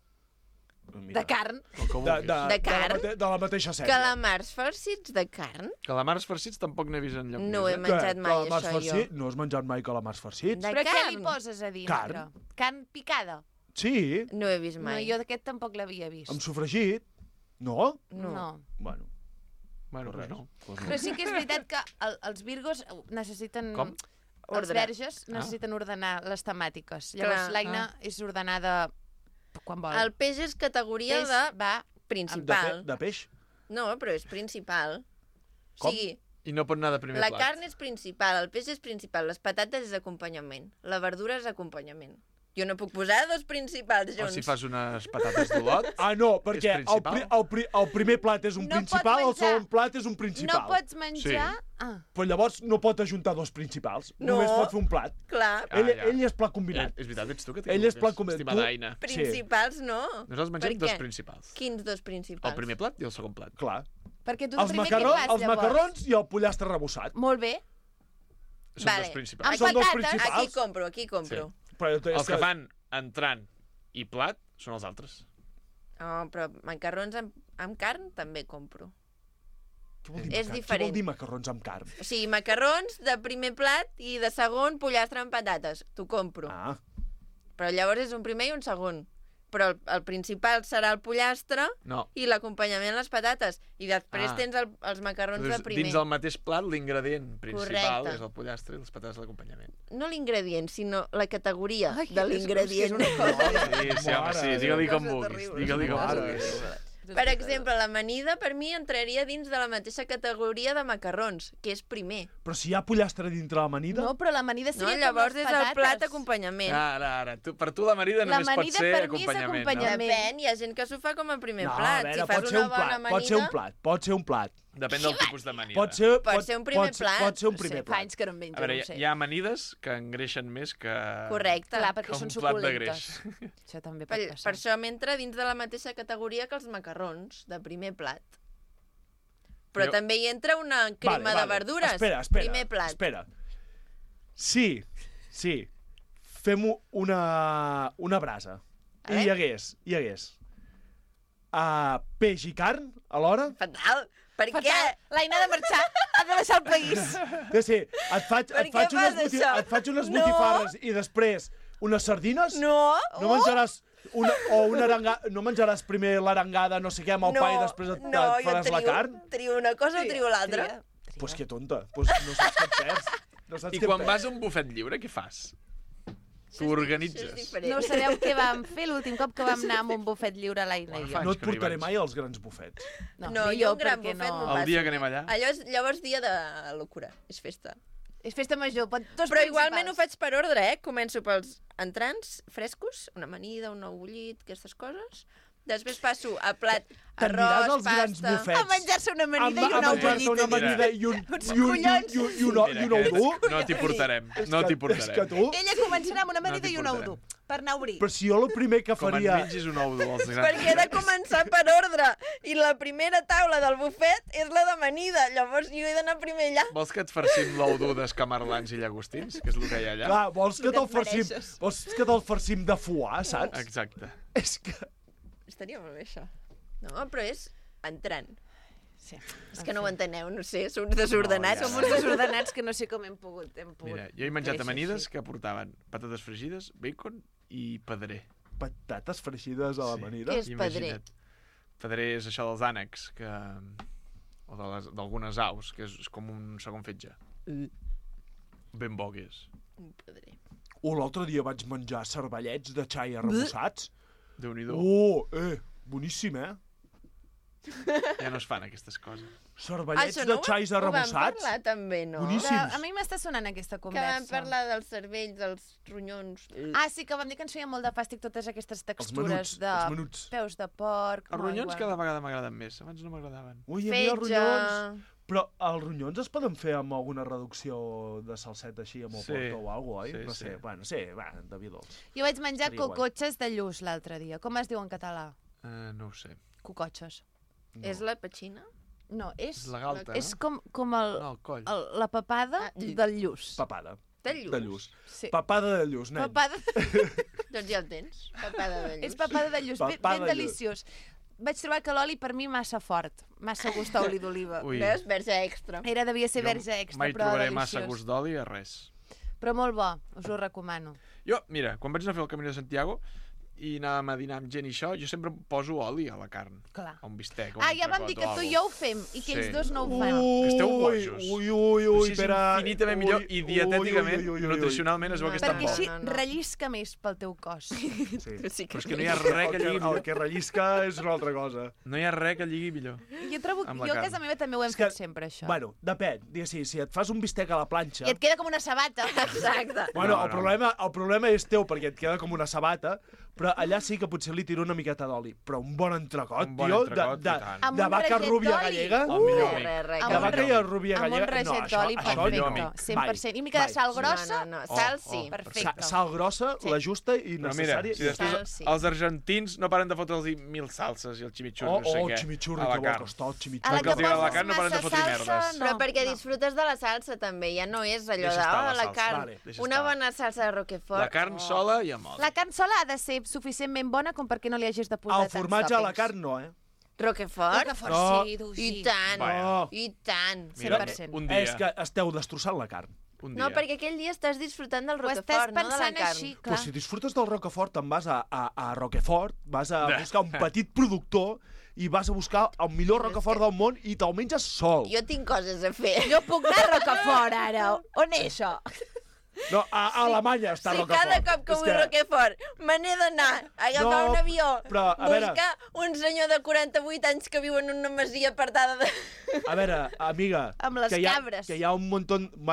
Mira, De carn. el que De, vulguis. De carn? de la mateixa sèrie. Calamars farcits de carn? Calamars farcits tampoc n'he vist enlloc. No més, he menjat mai calamars això, farcits? jo. No has menjat mai calamars farcits? De Però què li carn? poses a dintre? Carn. Carn picada? Sí, No he vist No, mai. jo d'aquest tampoc l'havia vist. amb sofregit. No? No. Bueno, Bueno, res. pues no. Pues no. Però sí que és veritat que els virgos necessiten... Com? Els Ordre. verges necessiten ordenar les temàtiques. Llavors Clar. l'Aina és ordenada quan vol. El peix és categoria Peix de va... principal. de peix? No, però és principal. Com? O sigui, I no pot anar de primer la plat. carn és principal, el peix és principal, les patates és acompanyament, la verdura és acompanyament. Jo no puc posar dos principals O junts. si fas unes patates d'olot. Ah, no, perquè És principal? el primer plat és un No pot principal, el menjar. segon plat és un principal. No pots menjar... Sí. Ah. Però llavors no pot ajuntar dos principals. No. Només pot fer un plat. Clar, Ah, ja. Ell és plat combinat. És veritat, ets tu que Ell és plat combinat. Estimada Aina. principals no. Nosaltres Per mengem dos què? principals. Quins dos principals? El primer plat i el segon plat. Clar. Perquè tu el Els, primer què macarrons, fas, els llavors? macarrons i el pollastre rebossat. Molt bé. Són Vale. dos principals. Amb Són dos patates. principals. Aquí compro. Però és Els que fan entrant i plat són els altres. Oh, però macarrons amb carn també compro. Què vol dir és macar- Què diferent. vol dir macarrons amb carn? O sigui, macarrons de primer plat i de segon pollastre amb patates. T'ho compro. Ah, Però llavors és un primer i un segon. Però el principal serà el pollastre No. i l'acompanyament les patates. I després Ah. tens els macarrons de Dius, primer. dins del mateix plat, l'ingredient principal Correcte. és el pollastre i les patates d'acompanyament. No l'ingredient, sinó la categoria Ai, de l'ingredient. Sí, sí, home, sí, digue-li com Cosa vulguis. terrible. Digue-li com Mare vulguis. Per exemple, l'amanida per mi entraria dins de la mateixa categoria de macarrons, que és primer. però si hi ha pollastre dintre l'amanida... No, però l'amanida No? seria Llavors com les és patates. el plat acompanyament. Ara. Per tu l'amanida només pot L'amanida ser per mi és acompanyament. acompanyament. Depèn, hi ha gent que s'ho fa com a primer no, plat. a veure, Si fas pot ser una un bona plat, amanida... pot ser un plat, pot ser un plat. Depèn del tipus d'amanida. Pot ser, Pot ser un primer plat. Pot ser un No sé, primer fa plat. anys que no en menjo, A veure, no ho sé. hi ha amanides que engreixen més que... Correcte. Clar, perquè que són un plat de suculentes. Això també pot Per passar. això m'entra dins de la mateixa categoria que els macarrons, de primer plat. Però Jo- també hi entra una crema de verdures. Espera, Primer plat. espera. Sí, fem una brasa. I hi hagués peix i carn alhora. Fatal. Per què? L'Aina ha de marxar, ha de deixar el país. Sí, et faig Per què fas això? unes No. botifarres i després unes sardines. No. No menjaràs una arengada, no menjaràs primer l'arengada, no sé què, amb el pa i després et faràs la carn? Trio una cosa o trio l'altra. Pues que tonta, pues no saps què et perds. No saps I què et quan perds. vas a un bufet lliure, què fas? T'ho organitzes. No sabeu què vam fer l'últim cop que vam anar a un bufet lliure a l'Aina i jo. No et portaré mai als grans bufets. No, ni jo jo, un gran perquè bufet no El passo. dia que anem allà. Allò és llavors dia de locura, és festa. És festa major, dos Però igualment ho principals. faig per ordre, Començo pels entrants frescos, una amanida, un ou bullit, aquestes coses. Després passo a plat, T'aniràs arròs, als grans pasta... bufets. A menjar-se una amanida i a un ou menjar-se una bullit. amanida i un Mira, ou dur. no t'hi portarem. No t'hi És que portarem. tu... Ella començarà amb una amanida No t'hi i un ou portarem. dur, per anar a obrir. Però si jo el primer que Com et faria... mengis un ou dur als grans Perquè he de començar per ordre. I la primera taula del bufet és la d'amanida. Llavors jo he d'anar primer allà. Vols que et farcim l'ou dur d'escamarlans i llagostins? Que és el que hi ha allà? Clar, vols que El que te'l et farcim, mereixes. vols que te'l farcim de foie, saps? Exacte. És que... Estaria molt bé, això. No, però és entrant. Sí. És que no ho enteneu, no sé, som uns desordenats. Som uns desordenats que no sé com hem pogut. Mira, jo he menjat créixer amanides així. que portaven patates fregides, bacon i pedrer. patates freixides a l'amanida. Què és pedrer? Imagina't. Pedrer és això dels ànecs, o d'algunes aus, que és com un segon fetge. Ben bo que és. Un pedrer. L'altre dia vaig menjar cervellets de xai arrebossats. Déu-n'hi-do. Boníssim, Ja no es fan aquestes coses. Cervellets de xais arrebossats. Ho vam parlar també, no? Boníssims. A mi m'està sonant aquesta Que conversa. vam parlar dels cervells, dels ronyons. Ah, sí, que vam dir que ens feia molt de fàstic totes aquestes textures els menuts. peus de porc. Els ronyons cada vegada m'agraden més. Abans no m'agradaven. Ui, a mi els ronyons... Però els ronyons es poden fer amb alguna reducció de salseta així, amb el porto o alguna cosa, oi? No sé, bueno, sí, de vi dolç. Jo vaig menjar Estaria guai. cocotxes de lluç l'altre dia. Com es diu en català? No ho sé. Cocotxes. És la petxina? No, és... És la galta, És no? com el coll. la papada del lluç. Papada. De lluç. De lluç. Sí. Papada de lluç, nen. Papada... Doncs ja el tens. Papada de lluç. És papada de lluç, Papada ben de lluç. deliciós. Vaig trobar que l'oli per mi massa fort, massa gust a oli d'oliva. Ui. Veus? Verge extra. Devia ser verge extra, Mai però trobaré deliciós. massa gust d'oli a res. Però molt bo, us ho recomano. Jo, mira, quan vaig anar a fer el Camí de Santiago i anàvem a dinar amb gent i això, jo sempre poso oli a la carn. Clar. A un bistec. Ja vam dir que tu i jo ho fem, i que ells dos no ho fan. Que esteu bojos. Ui, Així és espera. infinitament millor i dietèticament, nutricionalment es veu que està Perquè bo. així rellisca més pel teu cos. Sí. Però és que no hi ha res que lligui El millor. que rellisca és una altra cosa. No hi ha res que lligui millor. Jo trobo que Amb la jo a carn. casa meva també ho hem fet sempre, això. Bueno, depèn. Digues, si et fas un bistec a la planxa... I et queda com una sabata. Exacte. Bueno, No, el problema és teu, perquè et queda com una sabata, però allà sí que potser li tiro una miqueta d'oli. Però un bon entrecot, Un bon tio, entrecot, i tant. Amb de un vaca raget rúbia d'oli. gallega. El millor amic. De vaca i rúbia Amb un gallega. raget d'oli, perfecte. amic. 100%. I mica de sal grossa. No, sal sí. Perfecte. Sal grossa, la justa i Però mira, necessària. si després els argentins no paren de fotre'ls 1000 salses i el chimichurri, no sé què, chimichurri, a la que bo carn. que està el A chimichurri. la que els agrada la poses carn no paren de massa fotre salsa, merdes. Però perquè disfrutes de la salsa també, ja no és allò Deixa de estar la la salsa. carn. Vale, deixa Una estar. bona salsa de Roquefort. La carn sola i amb oli. La carn sola ha de ser suficientment bona com perquè no li hagis de posar El tants formatge a la tòpings. carn no, Roquefort? No. Sí, du, I sí. tant, No. i tant. Mira, 100%. un dia. És que esteu destrossant la carn. Un No, dia. perquè aquell dia estàs disfrutant del Ho estàs Roquefort, no de la pensant carn. així, Però clar. si disfrutes del Roquefort, te'n vas a Roquefort, vas a buscar un petit productor i vas a buscar el millor Roquefort del món i te'l menges sol. Jo tinc coses a fer. Jo puc anar a Rocafort, ara. On és això? No, a Alemanya està Si Roquefort. cada cop que És vull Roquefort me n'he d'anar a agafar No, un avió, però, a veure- buscar un senyor de 48 anys que viu en una masia apartada de... A veure, amiga, Amb les que hi ha, cabres. que hi ha un munt,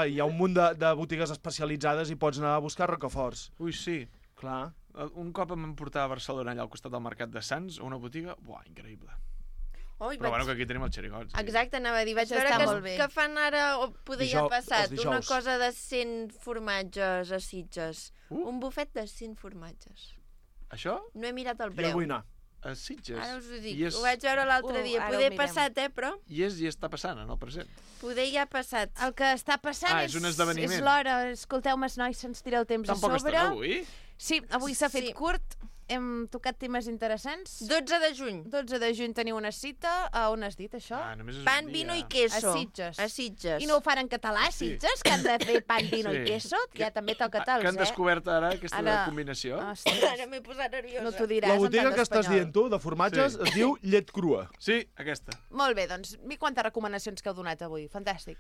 hi ha un munt de botigues especialitzades i pots anar a buscar Roqueforts. Ui, sí. Clar. Un cop em van portar a Barcelona, allà al costat del Mercat de Sants, a una botiga, buah, increïble. Ui, Però bueno, que aquí tenim els xerigots. Exacte, anava a dir. Vaig Això veure està molt bé. que fan ara, o poder ja ha passat, els una dijous. cosa de 100 formatges a Sitges. Uh. Un bufet de 100 formatges. Això? No he mirat el Jo preu. vull anar. A Sitges. Ara us ho dic. I, és, Ho vaig veure l'altre dia. ara ho Poder mirem. passat, però i està passant en el present. poder ja ha passat. El que està passant És un esdeveniment. és l'hora. Escolteu-me, nois, se'ns tira el temps Tampoc a sobre. estarà avui? Sí, avui s'ha fet Sí. curt. Hem tocat temes interessants. 12 de juny. 12 de juny teniu una cita. A on has dit, això? Només és Pan, un vino dia. i queso. A Sitges. A Sitges. I no ho fan en català, Sitges, que han de fer pan, vino Sí. i queso? Ja també toca tals, Que han descobert ara aquesta Ara- combinació. Ostres, Ara m'he posat nerviosa. no t'ho diràs La en botiga tant que estàs d'espanyol. dient tu, de formatges, Sí. es diu llet crua. Sí, aquesta. Molt bé, doncs, mi quantes recomanacions que heu donat avui. Fantàstic.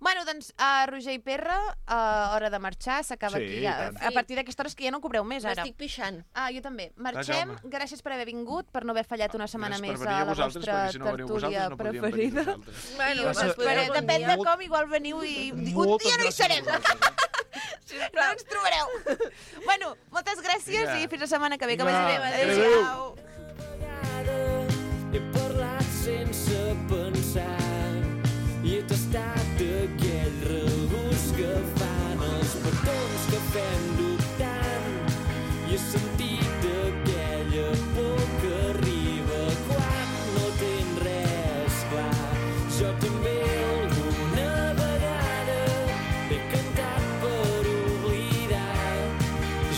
Bueno, doncs, a Roger i Perra, hora de marxar, s'acaba Sí, aquí. i tant. A partir d'aquesta hora és que ja no cobreu més, ara. M'estic pixant. Ah, jo també. Marxem. Jaume. Gràcies per haver vingut, per no haver fallat una setmana Gràcies més per venir a a la vosaltres, vostra perquè si no veniu tertúlia vosaltres no podríem venir preferida. nosaltres. Bueno, Gràcies. us esperem un Depèn de dia. com, igual veniu i... Un Moltes dia no hi gràcies serem. a vosaltres. No ens trobareu. Bueno, moltes gràcies Vinga. i fins la setmana que ve. Que Vinga. vagi bé. Adéu. Adéu. He parlat sense pensar i he tastat aquell regust que fan els petons que fem dubtant i he sentit aquella por que arriba quan no tens res clar. Jo també alguna vegada he cantat per oblidar.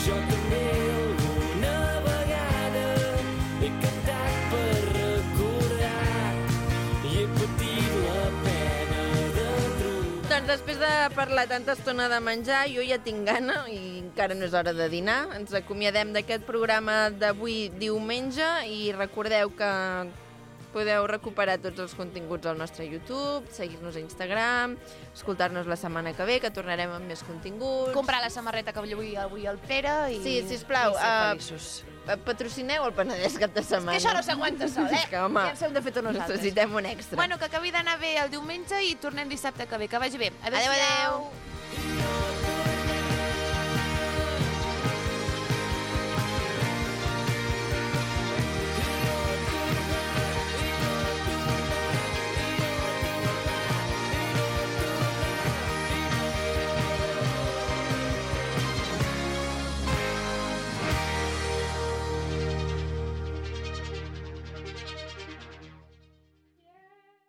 Jo també alguna vegada doncs després de parlar tanta estona de menjar, jo ja tinc gana i encara no és hora de dinar. Ens acomiadem d'aquest programa d'avui diumenge i recordeu que podeu recuperar tots els continguts al nostre YouTube, seguir-nos a Instagram, escoltar-nos la setmana que ve, que tornarem amb més continguts. Comprar la samarreta que avui el Pere i, Sí, sisplau, i ser feliços. Patrocineu el Penedès cap de setmana. És que això no s'aguanta sol, És que, home, ja ens hem de fer tots nosaltres. necessitem un extra. Bueno, que acabi d'anar bé el diumenge i tornem dissabte que ve. Que vagi bé. Adéu, adéu.